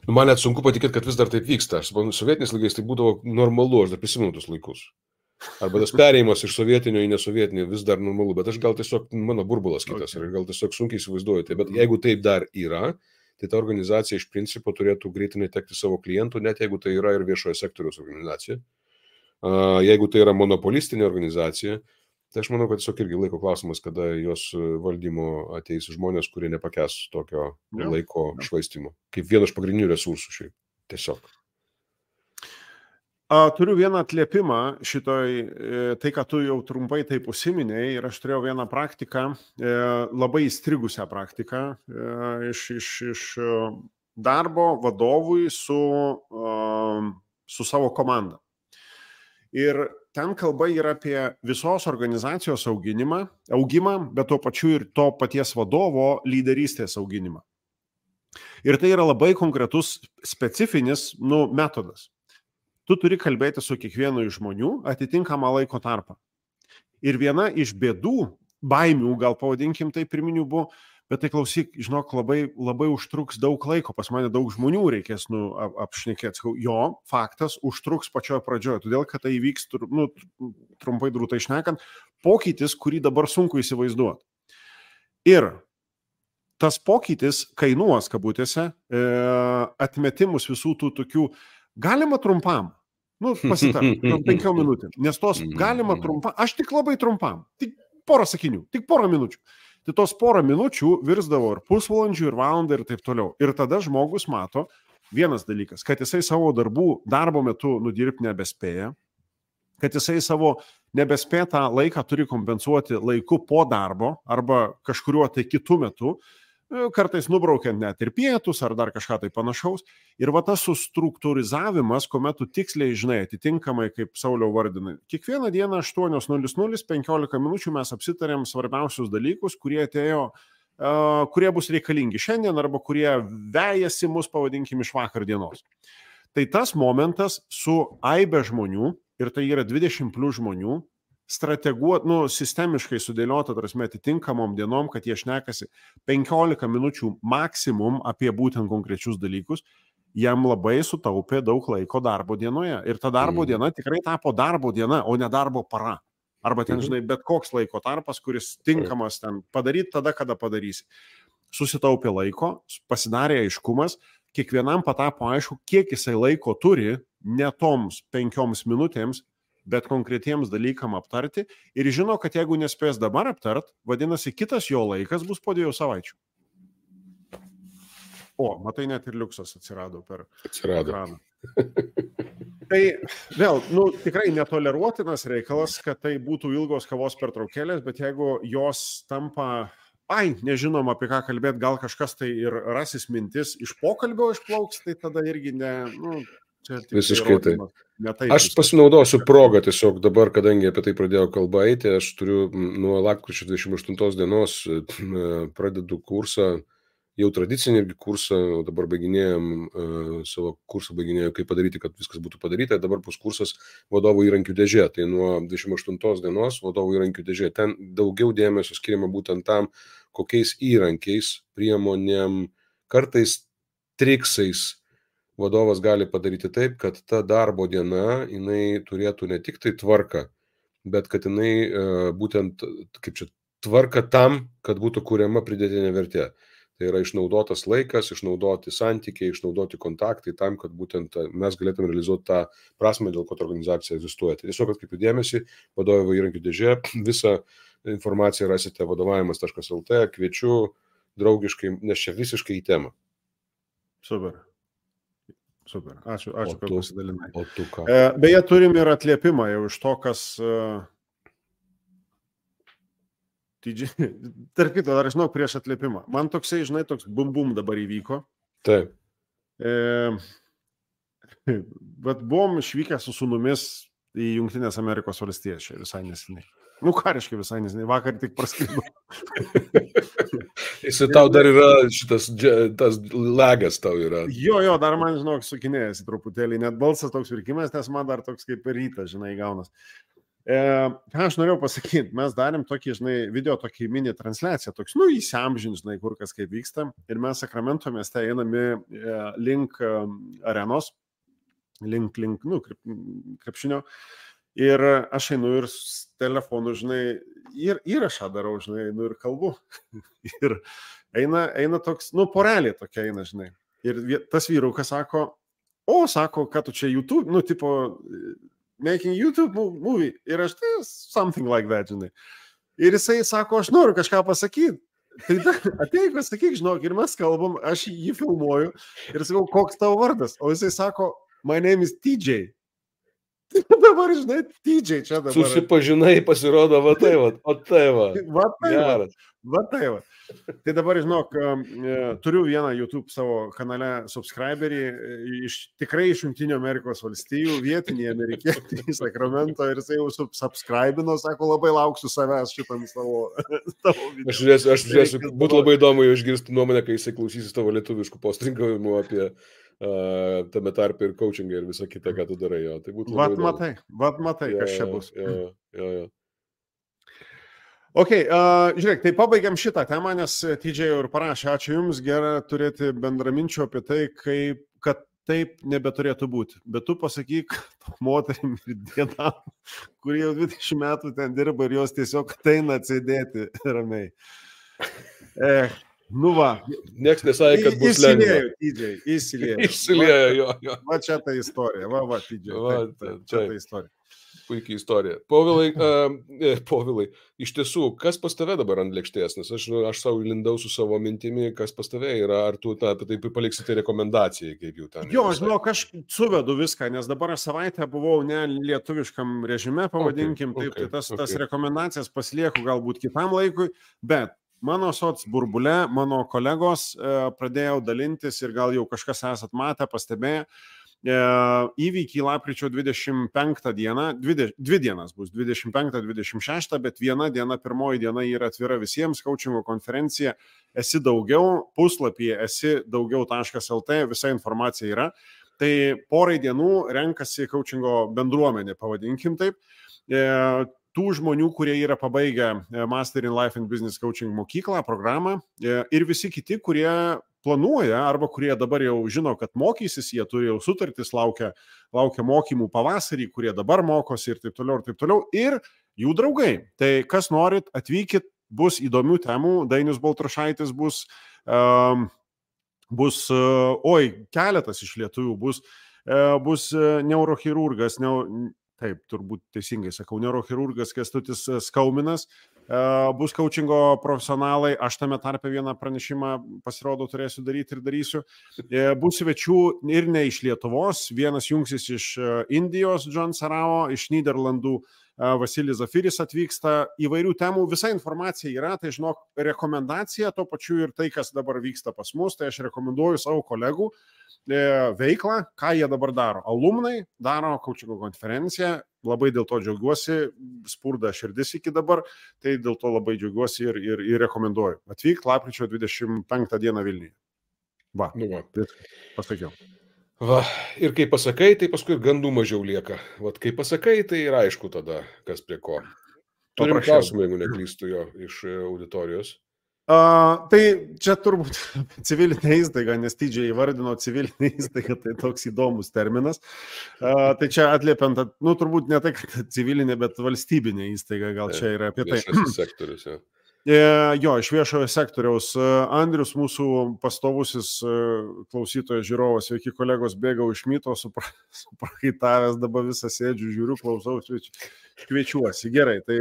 Man net sunku patikėti, kad vis dar taip vyksta. Aš suprantu, sovietiniais laikais tai būdavo normalu, aš dar prisimenu tus laikus. Arba tas perėjimas iš sovietinio į nesovietinį vis dar normalu, bet aš gal tiesiog, mano burbulas kitas, ir gal tiesiog sunkiai įsivaizduoju tai, bet jeigu taip dar yra, tai ta organizacija iš principo turėtų greitai netekti savo klientų, net jeigu tai yra ir viešojo sektoriaus organizacija. Jeigu tai yra monopolistinė organizacija, tai aš manau, kad tiesiog irgi laiko klausimas, kada jos valdymo ateis žmonės, kurie nepakęs tokio laiko švaistimo, kaip vienas iš pagrindinių resursų šiaip, tiesiog. Turiu vieną atliepimą šitoj, tai, ką tu jau trumpai taip užsiminėjai, ir aš turėjau vieną praktiką, labai įstrigusią praktiką iš darbo vadovui su savo komanda. Ir ten kalba yra apie visos organizacijos augimą, bet tuo pačiu ir to paties vadovo lyderystės auginimą. Ir tai yra labai konkretus, specifinis metodas. Tu turi kalbėti su kiekvienu iš žmonių atitinkamą laiko tarpą. Ir viena iš bėdų, baimių, gal pavadinkim tai pirminių buvo, bet tai klausyk, žinok, labai užtruks daug laiko, pas mane daug žmonių reikės apšnekėti. Jo, faktas, užtruks pačioje pradžioje, todėl kad tai įvyks, trumpai drūtai šnekant, pokytis, kurį dabar sunku įsivaizduoti. Ir tas pokytis kainuos, kabutėse, atmetimus visų tų tokių, galima trumpam, pasitarti, 5 minutėm, nes tos galima trumpam, aš tik labai trumpam, tik porą sakinių, tik porą minučių. Tai tos porą minučių virsdavo ir pusvalandžių, ir valandą, ir taip toliau. Ir tada žmogus mato vienas dalykas, kad jisai savo darbo metu nudirbti nebespėja. kad jisai savo nebespėtą laiką turi kompensuoti laiku po darbo arba kažkuriuo tai kitų metu, kartais nubraukiant net ir pietus ar dar kažką tai panašaus. Ir va tas sustruktūrizavimas, kuomet tu tiksliai žinai, atitinkamai, kaip Sauliau vardinai, kiekvieną dieną 8:00, 15 minučių mes apsitarėm svarbiausius dalykus, kurie bus reikalingi šiandien arba kurie vejasi mus, pavadinkim, iš vakar dienos. Tai tas momentas su aibe žmonių, ir tai yra 20 plus žmonių, sistemiškai sudėliota, tarsi atitinkamom dienom, kad jie šnekasi 15 minučių maksimum apie būtent konkrečius dalykus, jam labai sutaupė daug laiko darbo dienoje. Ir ta darbo diena tikrai tapo darbo diena, o ne darbo para. Arba ten, žinai, bet koks laiko tarpas, kuris tinkamas ten padaryti tada, kada padarysi. Susitaupė laiko, pasidarė aiškumas, kiekvienam patapo aišku, kiek jisai laiko turi, ne toms 5 minutėms, bet konkretiems dalykam aptarti ir žino, kad jeigu nespės dabar aptart, vadinasi, kitas jo laikas bus po 2 savaičių. O, matai, net ir liuksas atsirado per ekraną. Tai vėl, tikrai netoleruotinas reikalas, kad tai būtų ilgos kavos pertraukėlės, bet jeigu jos tampa, nežinom apie ką kalbėti, gal kažkas tai ir rasis mintis iš pokalbio išplauks, tai tada irgi visiškai tai. Aš pasinaudosiu progą tiesiog dabar, kadangi apie tai pradėjau kalbą eiti, aš turiu nuo lapkričio 28 dienos pradedu kursą, jau tradicinį irgi kursą, o dabar savo kursą baiginėjau, kaip padaryti, kad viskas būtų padaryta, dabar bus kursas vadovų įrankių dėžė, tai nuo 28 dienos vadovų įrankių dėžė, ten daugiau dėmesio skiriama būtent tam, kokiais įrankiais, priemonėm, kartais triksais vadovas gali padaryti taip, kad ta darbo diena, jinai turėtų ne tik tai tvarką, bet kad jinai būtent, tvarka tam, kad būtų kuriama pridėtinė vertė. Tai yra išnaudotas laikas, išnaudoti santykiai, išnaudoti kontaktai tam, kad būtent mes galėtume realizuoti tą prasmę, dėl ko ta organizacija egzistuoja. Tai tiesiog atkreipiu dėmesį, vadovų įrankių dėžė, visą informaciją rasite vadovavimas.lt, kviečiu draugiškai, nes čia visiškai į temą. Super, ačiū, kad pasidalinai. O tu ką? Beje, turim ir atliepimą jau iš to, kas... Tarp kito, dar žinau prieš atliepimą. Man toksai, žinai, toks bum dabar įvyko. Taip. Bet buvom išvykę su sūnumis į Jungtinės Amerikos valstijas čia visai neseniai. Kariškai visai neseniai, vakar tik praskrido. Jis tau dar yra tas lagas tau yra. Jo, dar man, žinok, sukinėjasi truputėlį, net balsas toks virkimas, nes man dar toks kaip rytas, žinai, gaunas. Ką aš norėjau pasakyti, mes darėm tokį, žinai, video, tokį mini transliaciją, toks, įsiamžin, žinai, kur kas kaip vyksta, ir mes Sakramento mieste einami link arenos, link, krepšinio. Ir aš einu ir telefonu, žinai, ir įrašą darau, žinai, ir kalbu. Ir eina toks, porelė tokia eina, žinai. Ir tas vyrukas sako, kad tu čia YouTube, tipo, making YouTube movie. Ir aš tai something like that, žinai. Ir jisai sako, aš noriu kažką pasakyti. Tai ateik, pasakyk, žinok, ir mes kalbam, aš jį filmuoju ir sakau, koks tavo vardas. O jisai sako, my name is TJ. Tai dabar, žinai, TJ čia dabar. Susipažinai, pasirodo, va tai va. Va tai va. Tai dabar, žinok, turiu vieną YouTube savo kanale subscriberį, tikrai iš Jungtinių Amerikos valstijų, vietinį amerikietį į Sakramento, ir jisai jau subscribino, sako, labai lauksiu savęs šitam tavo video. Aš žiūrėsiu, būtų labai įdomu išgirsti nuomonę, kai jisai klausysis tavo lietuviškų postringavimų apie tame tarpe ir coachingą ir visą kitą, ką tu darai. Jo. Tai būtų labai matai, kas čia bus. Jo. Ok, žiūrėk, tai pabaigiam šitą temą, nes TJ jau ir parašė, ačiū Jums, gera turėti bendraminčių apie tai, kad taip nebeturėtų būti. Bet tu pasakyk moterim ir dienam, kurie jau 20 metų ten dirba ir jos tiesiog ateina atsėdėti ramiai. Niekas nesakė, kad bus lengva. Įsilėjo, jo. Va čia ta istorija, TJ. Čia ta istorija. Puikiai istorija. Povilai, iš tiesų, kas pas tave dabar ant lėkštės? Nes aš savo lindau su savo mintimi, kas pas tave yra, ar tu apie tai paliksite rekomendacijai, kaip jau ten. Jo, žinok, aš suvedu viską, nes dabar aš savaitę buvau ne lietuviškam režime, pavadinkim, tai tas rekomendacijas pasilieku galbūt kitam laikui, bet mano soc burbule, mano kolegos pradėjau dalintis ir gal jau kažkas esat matę, pastebėję, įvykiai lapkričio 25 dieną, dvi dienas bus, 25-26, bet viena diena, pirmoji diena yra atvira visiems, coachingo konferencija, esi daugiau, puslapyje esi daugiau.lt, visa informacija yra. Tai porai dienų renkasi coachingo bendruomenė, pavadinkim taip. Tų žmonių, kurie yra pabaigę Master in Life and Business Coaching mokyklą, programą ir visi kiti, kurie planuoja arba kurie dabar jau žino, kad mokysis, jie turi jau sutartis, laukia mokymų pavasarį, kurie dabar mokosi ir taip toliau, ir jų draugai. Tai kas norit, atvykit, bus įdomių temų, Dainius Baltrušaitis bus, keletas iš lietuvių bus neurochirurgas, taip, turbūt teisingai sakau, neurochirurgas Kęstutis Skauminas, bus coachingo profesionalai, aš tame tarpe vieną pranešimą pasirodo turėsiu daryti ir darysiu. Bus svečių ir ne iš Lietuvos, vienas jungsis iš Indijos, John Sarao, iš Nyderlandų Vasilis Zafiris atvyksta, įvairių temų, visa informacija yra, tai žinok, rekomendacija, to pačiu ir tai, kas dabar vyksta pas mus, tai aš rekomenduoju savo kolegų veiklą, ką jie dabar daro. Alumnai daro coachingo konferenciją, labai dėl to džiaugiuosi, spurda širdis iki dabar, tai dėl to labai džiaugiuosi ir rekomenduoju. Atvyk lapkričio 25 dieną Vilniuje. Va, pasakiau. Va, ir kai pasakai, tai paskui gandų mažiau lieka. Vat kai pasakai, tai yra aišku tada, kas prie ko. Turim klausimą, jeigu neklystu jo iš auditorijos. Tai čia turbūt civilinė įstaiga, nes Tydžiai įvardino civilinė įstaiga, tai toks įdomus terminas. Tai čia atliepiant, turbūt ne tai, kad civilinė, bet valstybinė įstaiga, gal čia yra apie tai. Viešasis sektorius, jo. Jo, iš viešojo sektoriaus. Andrius, mūsų pastovusis klausytojas žiūrovas, sveiki kolegos, bėgau iš myto, suprakaitavęs, dabar visą sėdžiu, žiūriu, klausau, kviečiuosi. Gerai, tai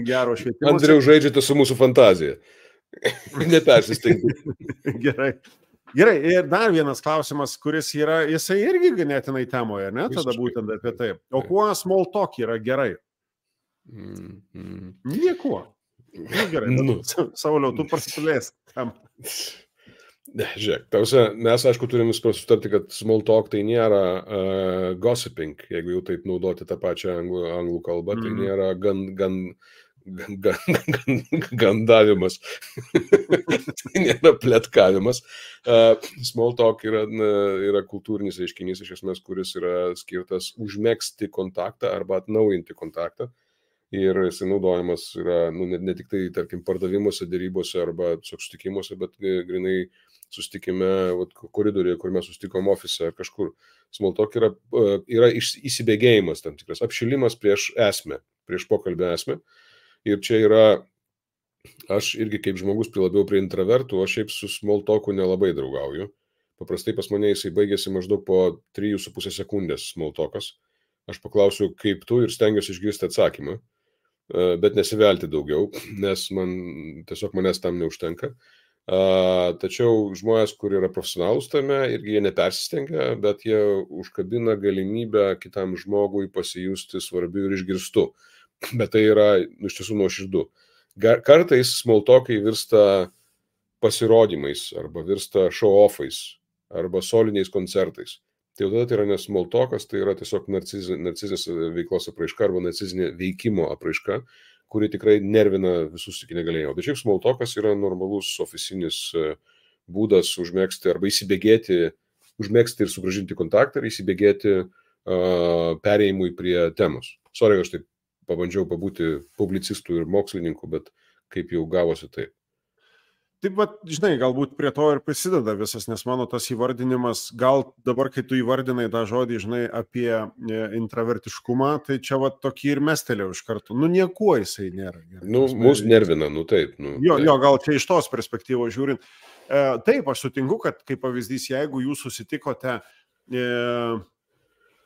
gero švietimo. Andriau, žaidžiate su mūsų fantazija. Nepersistengti. Gerai, ir dar vienas klausimas, kuris yra, jisai irgi ganėtinai temoje, ne? Tada būtent apie tai. O kuo small talk yra gerai? Niekuo. Gerai, Sauliau, tu prasilės tam. Žiūrėk, mes aišku turim sutarti, kad small talk tai nėra gossiping, jeigu jau taip naudoti tą pačią anglų kalbą, tai nėra gandavimas, tai nėra pletkavimas. Small talk yra kultūrinis reiškinys, iš esmės, kuris yra skirtas užmegzti kontaktą arba atnaujinti kontaktą. Ir jisai naudojamas yra ne tik tai, tarkim, pardavimuose, dėrybose arba susitikimuose, bet grinai susitikime koridoriuje, kur mes susitikom ofise ar kažkur. Small talk yra įsibėgėjimas tam tikras, apšilimas prieš esmę, prieš pokalbę esmę. Ir čia yra, aš irgi kaip žmogus labiau prie intravertų, aš šiaip su small talku nelabai draugauju. Paprastai pas mane jisai baigėsi maždaug po 3,5 sekundės small talkas. Aš paklausiu, kaip tu, ir stengiuosi išgirsti atsakymą, bet nesivelti daugiau, nes tiesiog manęs tam neužtenka. Tačiau žmonės, kur yra profesionalūs tame, irgi jie nepersistengia, bet jie užkabina galimybę kitam žmogui pasijusti svarbiu ir išgirstu. Bet tai yra iš tiesų nuoširdu. Kartais small talkai virsta pasirodymais, arba virsta show-offais, arba soliniais koncertais. Tai tada tai yra ne small talkas, tai yra tiesiog narcizinės veiklos apraiška arba narcizinė veikimo apraiška, kuri tikrai nervina visus iki negalėjimo. Bet šiaip small talkas yra normalus ofisinis būdas užmegzti arba įsibėgėti, užmegzti ir sugrąžinti kontaktą ir įsibėgėti perėjimui prie temos. Sorry, aš taip pabandžiau pabūti publicistų ir mokslininkų, bet kaip jau gavosi taip. Taip, bet, žinai, galbūt prie to ir prisideda visas, nes mano tas įvardinimas, gal dabar, kai tu įvardinai tą žodį, žinai, apie intravertiškumą, tai čia va tokį ir mestelėjau iš karto. Niekuo jisai nėra. Mus nervina, taip. Jo, gal čia iš tos perspektyvos žiūrint. Taip, aš sutinku, kad kaip pavyzdys, jeigu jūs susitikote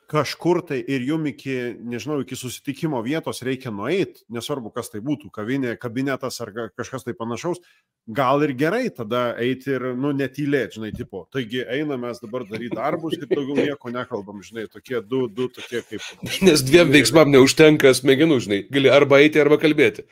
kažkur tai ir jum iki susitikimo vietos reikia nueiti, nesvarbu, kas tai būtų, kavinė, kabinetas ar kažkas tai panašaus, gal ir gerai tada eiti ir, netylėti, žinai, tipo, taigi einame mes dabar daryti darbus, taip daugiau nieko nekalbam, žinai, tokie du tokie kaip... Nes dviem veiksmam neužtenka smegenų, žinai, gali arba eiti, arba kalbėti.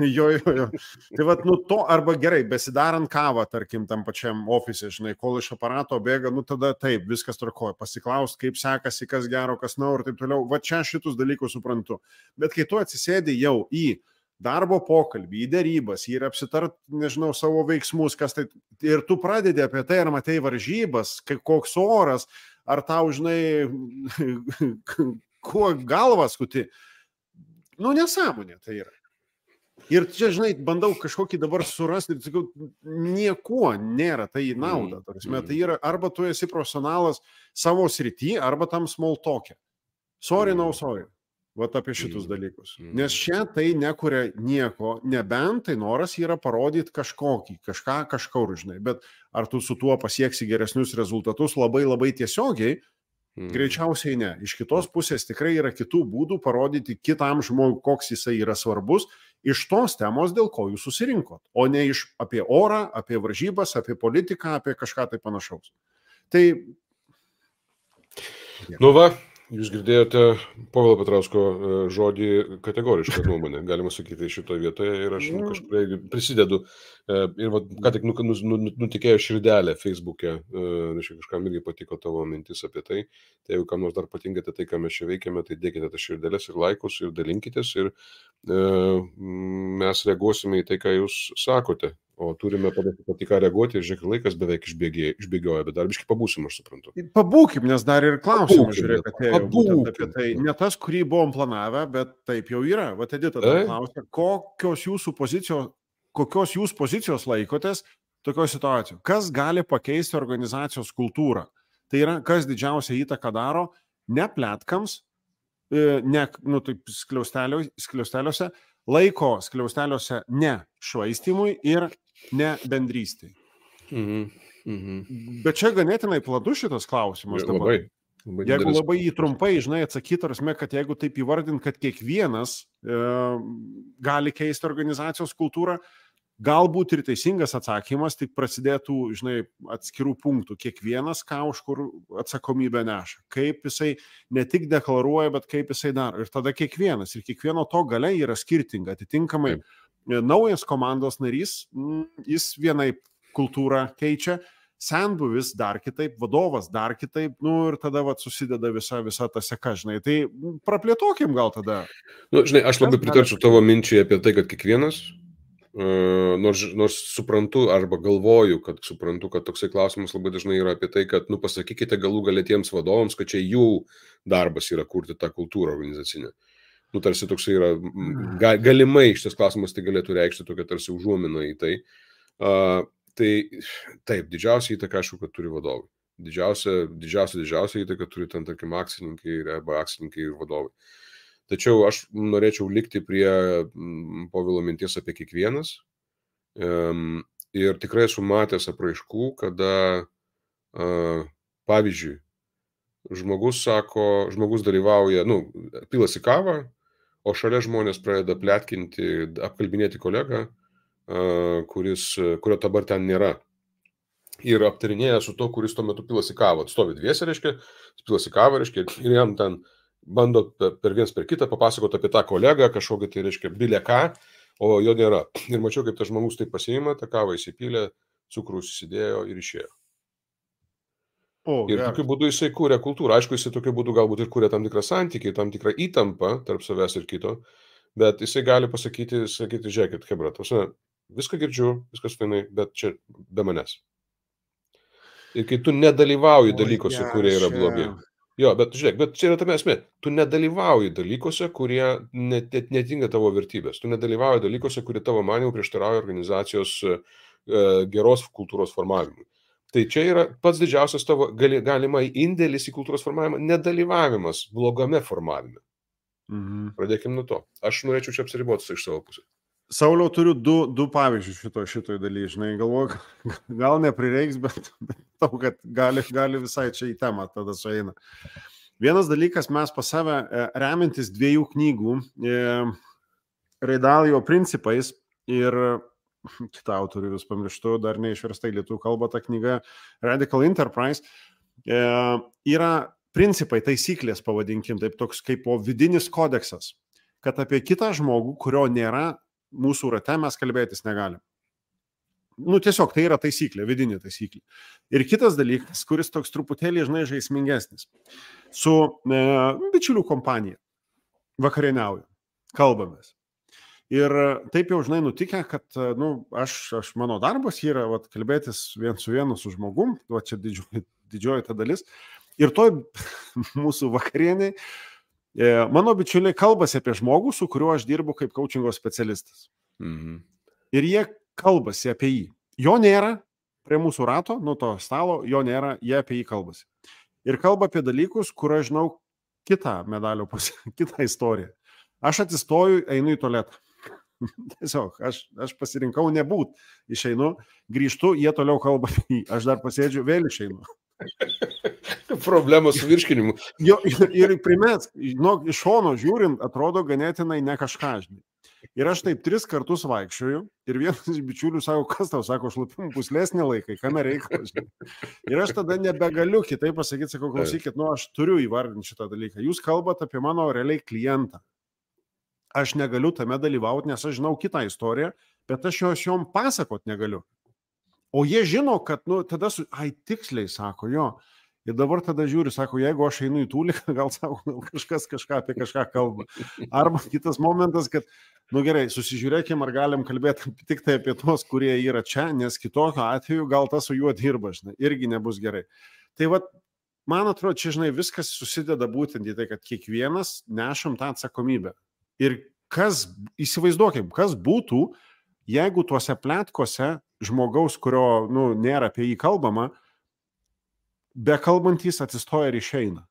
Jo. Tai vat, to arba gerai, besidarant kavą, tarkim, tam pačiam ofise, žinai, kol iš aparato bėga, tada taip, viskas tvarkoja, pasiklaust, kaip sekasi, kas gero, kas ir taip toliau. Va čia šitus dalykus suprantu. Bet kai tu atsisėdi jau į darbo pokalbį, į dėrybas, ir apsitart, nežinau, savo veiksmus, kas tai, ir tu pradedi apie tai, ar matai varžybas, koks oras, ar tau, žinai, kuo galvas kuti. Nesąmonė tai yra. Ir čia, žinai, bandau kažkokį dabar surasti ir sakau, niekuo nėra tai į naudą. Tai yra, arba tu esi profesionalas savo srity, arba tam small talk'e. Sorry, no sorry. Vat apie šitus dalykus. Nes čia tai nekuria nieko, nebent tai noras yra parodyti kažką kažkur, žinai. Bet ar tu su tuo pasieksi geresnius rezultatus labai labai tiesiogiai, greičiausiai ne. Iš kitos pusės tikrai yra kitų būdų parodyti kitam žmogui, koks jisai yra svarbus, iš tos temos, dėl ko jūs susirinkot, o ne apie orą, apie varžybas, apie politiką, apie kažką tai panašaus. Tai... Va, jūs girdėjote Povilo Petrausko žodį kategorišką nuomonę, galima sakyti, šitoje vietoje ir aš kažkur prisidedu. Ir ką tik nutikėjo širdelė Facebook'e, kažkam irgi patiko tavo mintis apie tai. Tai jeigu kam nors dar patinkate tai, ką mes čia veikiame, tai dėkite tas širdelės ir laikus ir dalinkitės ir mes reaguosime į tai, ką jūs sakote. O turime pati ką reaguoti ir žiūrėk, laikas beveik išbėgioja, bet dar biškai pabūsim, aš suprantu. Pabūkim, nes dar ir klausimų, žiūrėk, atėjo būtent apie tai. Ne tas, kurį buvom planavę, bet taip jau yra. Vat Edita klausia, kokios jūs pozicijos laikotės tokio situacijos? Kas gali pakeisti organizacijos kultūrą? Tai yra, kas didžiausią įtaką daro ne pletkams, ne skliausteliuose, laiko skliausteliuose ne švaistymui ir ne bendrystei. Bet čia ganėtinai platus šitas klausimas dabar. Jeigu labai jį trumpai, žinai, atsakyti, arasme, kad jeigu taip įvardint, kad kiekvienas gali keisti organizacijos kultūrą, galbūt ir teisingas atsakymas, tik prasidėtų, žinai, atskirų punktų. Kiekvienas, ką už kur atsakomybę neša. Kaip jisai ne tik deklaruoja, bet kaip jisai daro. Ir tada kiekvienas. Ir kiekvieno to galia yra skirtinga. Atitinkamai naujas komandos narys, jis vienaip kultūrą keičia, senbuvis dar kitaip, vadovas dar kitaip, ir tada susideda visa ta seka, žinai. Tai praplėtokim gal tada. Žinai, aš labai pritarčiau tavo minčiai apie tai, kad kiekvienas, nors suprantu arba galvoju, kad suprantu, kad toksai klausimas labai dažnai yra apie tai, kad pasakykite galų galia tiems vadovams, kad čia jų darbas yra kurti tą kultūrą organizacinę. Tarsi toksai yra, galimai šitas klausimas tai galėtų reikšti tokia tarsi užuomina į tai. Tai taip, didžiausia įtaka, aišku, kad turi vadovai. Didžiausia įtaka turi ten, tarkim, akcininkai ir vadovai. Tačiau aš norėčiau likti prie Povilo minties apie kiekvienas. Ir tikrai esu matęs apraiškų, kada, pavyzdžiui, žmogus dalyvauja, pilasi kavą, o šalia žmonės pradeda pletkinti, apkalbinėti kolegą, kurio dabar ten nėra. Ir aptarinėja su to, kuris tuo metu pilasi kavą. Stovi dviese, reiškia, pilasi kavą, reiškia, ir jam ten bando per viens per kitą papasakoti apie tą kolegą, kažkokį tai, reiškia, bilė ką, o jo nėra. Ir mačiau, kaip tas žmogus taip pasiima, tą kavą įsipylė, cukrus įsidėjo ir išėjo. Ir tokiu būdu jisai kūrė kultūrą. Aišku, jisai tokiu būdu galbūt ir kūrė tam tikrą santykį, tam tikrą įtampą tarp savęs ir kito, bet jisai gali pasakyti, žiūrėkit, hebra, viską girdžiu, viskas fainai, bet čia be manęs. Ir kai tu nedalyvauji dalykuose, kurie yra blogi. Jo, bet žiūrėk, bet čia yra tame esmė. Tu nedalyvauji dalykuose, kurie netinka tavo vertybės. Tu nedalyvauji dalykuose, kurie tavo manymu prieštarauja organizacijos geros kultūros formavimui. Tai čia yra pats didžiausias tavo galimai indėlis į kultūros formavimą, nedalyvavimas blogame formavime. Pradėkim nuo to. Aš norėčiau čia apsiriboti iš savo pusės. Sauliau, turiu du pavyzdžius šitoj dalyje, žinai, galvoju, gal neprireiks, bet tau, kad gali visai čia į temą tada sueina. Vienas dalykas, mes pas save remiantis 2 knygų Raidalio principais ir kitą autorių vis pamirštu, dar neišversta į lietuvių kalbą ta knyga Radical Enterprise, yra principai, taisyklės, pavadinkim, taip toks kaip vidinis kodeksas, kad apie kitą žmogų, kurio nėra mūsų rate, mes kalbėtis negalim. Tiesiog tai yra taisyklė, vidinė taisyklė. Ir kitas dalykas, kuris toks truputėlį, žinai, žaismingesnis. Su bičiulių kompanija vakarieniauju, kalbamės. Ir taip jau, žinai, nutikę, kad, mano darbas yra kalbėtis vien su vienu su žmogum, čia didžioji ta dalis. Ir toj mūsų vakarieniai mano bičiuliai kalbasi apie žmogų, su kuriuo aš dirbu kaip coachingo specialistas. Mhm. Ir jie kalbasi apie jį. Jo nėra prie mūsų rato, to stalo, jo nėra, jie apie jį kalbasi. Ir kalba apie dalykus, kur aš žinau kitą medalio pusę, kitą istoriją. Aš atsistoju, einu į tualetą. Tiesiog, aš pasirinkau nebūt. Išeinu, grįžtu, jie toliau kalba apie jį. Aš dar pasėdžiu, vėl išeinu. Problemos su virškinimu. Ir primės, iš šono žiūrint, atrodo ganėtinai ne kažką, žinai. Ir aš taip 3 kartus vaikščioju ir vienas iš bičiulių sako, kas tau, sako, šlapimų puslesnį laiką, kame reikalas. Ir aš tada nebegaliu kitaip pasakyti, sakau, klausykit, aš turiu įvardinti šitą dalyką. Jūs kalbate apie mano realiai klientą. Aš negaliu tame dalyvauti, nes aš žinau kitą istoriją, bet aš jom pasakot negaliu. O jie žino, kad, tada tiksliai, sako, jo. Ir dabar tada žiūri, sako, jeigu aš einu į tūliką, gal sako, kažkas apie kažką kalba. Arba kitas momentas, kad, gerai, susižiūrėkim, ar galim kalbėti tik tai apie tos, kurie yra čia, nes kitokio atveju gal tas su juo dirba, žinai, irgi nebus gerai. Tai man atrodo, čia, žinai, viskas susideda būtent į tai, kad kiekvienas nešam tą atsakomybę. Ir įsivaizduokim, kas būtų, jeigu tuose pletkose žmogaus, kurio, nėra apie jį kalbama, be kalbantys atsistoja ir išeina.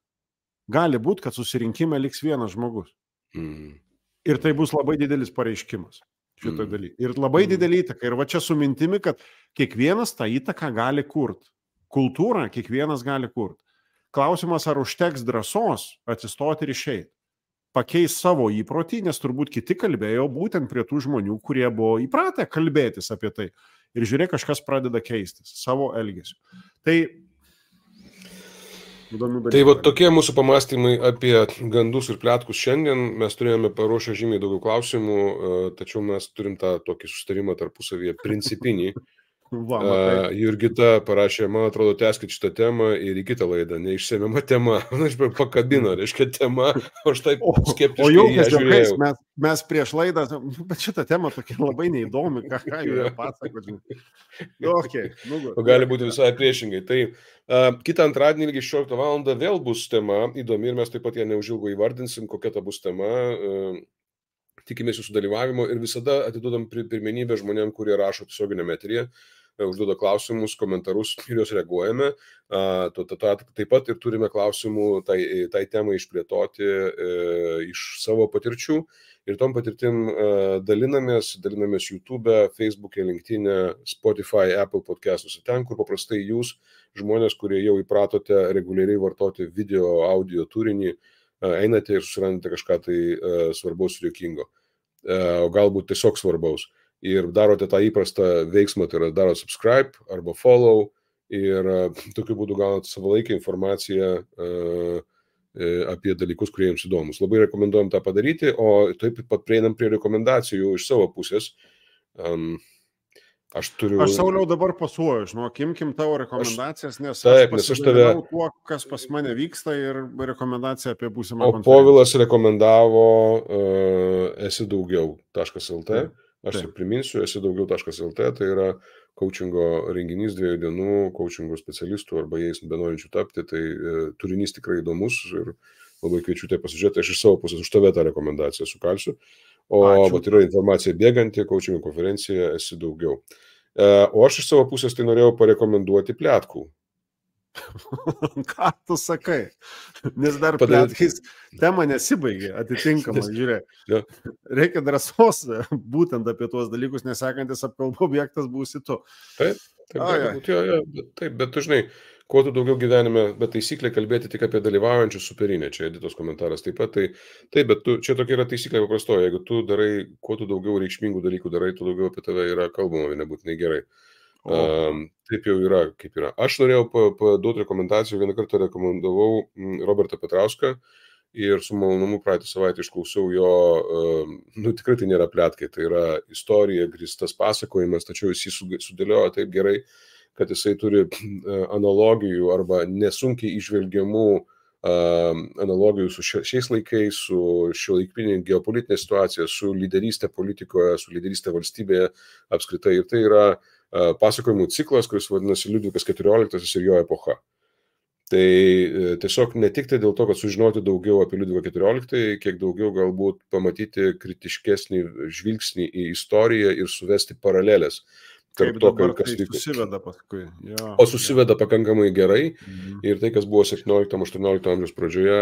Gali būti, kad susirinkime liks vienas žmogus. Ir tai bus labai didelis pareiškimas šitoj daly. Ir labai didelį įtaką. Ir čia su mintimi, kad kiekvienas tą įtaką gali kurti. Kultūrą kiekvienas gali kurti. Klausimas, ar užteks drąsos atsistoti ir išeiti. Pakeis savo įprotį, nes turbūt kiti kalbėjo būtent prie tų žmonių, kurie buvo įpratę kalbėtis apie tai. Ir žiūrėk, kažkas pradeda keistis savo elgesiu. Tai tokie mūsų pamastymai apie gandus ir pletkus šiandien. Mes turėjome paruošę žymiai daugiau klausimų, tačiau mes turim tą tokį susitarimą tarpusavyje principinį. Jurgita parašė, man atrodo, tęskit šitą temą ir į kitą laidą, neišsemiama tema. Aš pakabino, reiškia tema, aš taip skeptiškai ją žiūrėjau. Mes prieš laidą, bet šitą temą tokia labai neįdomi, ką jų pasakoti. Gali būti visai priešingai. Tai kitą antradienį lygiai 16 val. Vėl bus tema įdomi ir mes taip pat ją neužilgo įvardinsim, kokia ta bus tema. Tikimės jūsų dalyvavimo ir visada atiduodam pirmenybę žmonėm, kurie rašo tiesioginiame eteryje, užduoda klausimus, komentarus ir juos reaguojame. Taip pat ir turime klausimų tai temai išplėtoti iš savo patirčių ir tom patirtim dalinamės YouTube, Facebook'e, LinkedIn'e, Spotify, Apple podcast'uose, ten, kur paprastai jūs, žmonės, kurie jau įpratote reguliariai vartoti video, audio turinį, einate ir susirandate kažką tai svarbaus ir juokingo, o galbūt tiesiog svarbaus. Ir darote tą įprastą veiksmą, tai yra darote subscribe arba follow ir tokiu būdu gaunate savalaikę informaciją apie dalykus, kurie jums įdomus. Labai rekomenduojam tą padaryti, o taip pat prieinam prie rekomendacijų iš savo pusės. Aš Sauliau dabar pasuoju, imkim tavo rekomendacijas, nes aš pasidalinau tuo, kas pas mane vyksta ir rekomendacija apie būsimą konferenciją. O Povilas rekomendavo esidaugiau.lt. Aš tik priminsiu, esidaugiau.lt, tai yra coachingo renginys 2 dienų, coachingo specialistų arba jais benorinčių tapti, tai turinys tikrai įdomus ir labai kviečiu tai pasižiūrėti. Aš iš savo pusės už tave tą rekomendaciją sukalsiu. O yra informacija bėganti, coachingo konferencija esidaugiau. O aš iš savo pusės tai norėjau parekomenduoti pletkų. Ką tu sakai? Nes dar pletkais tema nesibaigė, atitinkamai, žiūrėk. Reikia drąsos būtent apie tuos dalykus, nesakantis apkalbų objektas būsi tu. Taip, bet tu žinai, kuo tu daugiau gyvenime, bet taisyklė kalbėti tik apie dalyvaujančius superinė, čia Editos komentaras taip pat, tai bet čia tokia yra taisyklė paprastoja, jeigu tu darai, kuo tu daugiau reikšmingų dalykų darai, tu daugiau apie tave yra kalbama, nebūtinai gerai. Taip jau yra, kaip yra. Aš norėjau paduoti rekomendacijų, vieną kartą rekomendavau Robertą Petrauską ir su malonumu praeitą savaitę išklausiau jo, tikrai tai nėra pletkai, tai yra istorija, grįstas pasakojimas, tačiau jis jį sudėliojo taip gerai, kad jisai turi analogijų arba nesunkiai išvelgiamų analogijų su šiais laikais, su šiuolaikinė geopolitinė situacija, su lyderystė politikoje, su lyderystė valstybėje apskritai. Ir tai yra pasakojimų ciklas, kuris vadinasi Liudvikas XIV ir jo epocha. Tai tiesiog ne tik tai dėl to, kad sužinoti daugiau apie Liudviką XIV, kiek daugiau galbūt pamatyti kritiškesnį žvilgsnį į istoriją ir suvesti paralelės. Kaip dabar tai susiveda paskui. Jo. O susiveda pakankamai gerai ir tai, kas buvo 17-18 amžiaus pradžioje,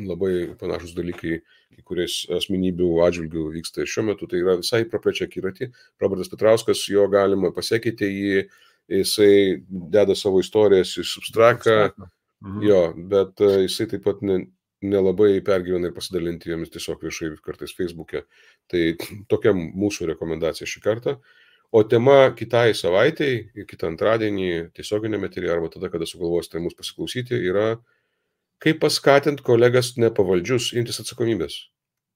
labai panašus dalykai, kuriais asmenybių atžvilgių vyksta ir šiuo metu, tai yra visai praplečia akiratį. Robertas Petrauskas, jo galima pasekyti jį, jisai deda savo istorijas į substraką, jo, bet jisai taip pat nelabai pergyvena ir pasidalinti jomis tiesiog viešai kartais Facebook'e. Tai tokia mūsų rekomendacija šį kartą. O tema kitai savaitei, kitą antradienį, tiesioginėme eteryje arba tada, kada sugalvosite mus pasiklausyti, yra kaip paskatinti kolegas nepavaldžius imtis atsakomybės.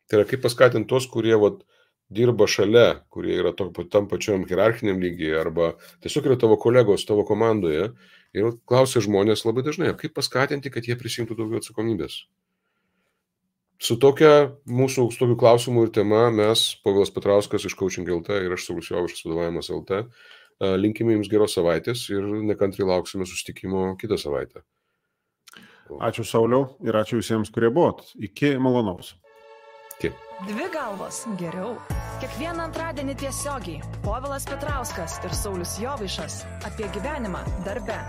Tai yra kaip paskatinti tos, kurie dirba šalia, kurie yra tam pačiam hierarchiniam lygyje arba tiesiog yra tavo kolegos, tavo komandoje ir klausia žmonės labai dažnai, kaip paskatinti, kad jie prisimtų daugiau atsakomybės. Su tokiu klausimu ir tema mes, Povilas Petrauskas iš Coaching LT ir aš Saulius Jovaišas vadovavimas LT, linkime jums geros savaitės ir nekantriai lauksime susitikimo kitą savaitę. Ačiū Sauliau ir ačiū visiems, kurie buvot. Iki malonaus. Iki. Dvi galvos geriau. Kiekvieną antradienį tiesiogiai Povilas Petrauskas ir Saulius Jovaišas apie gyvenimą darbe.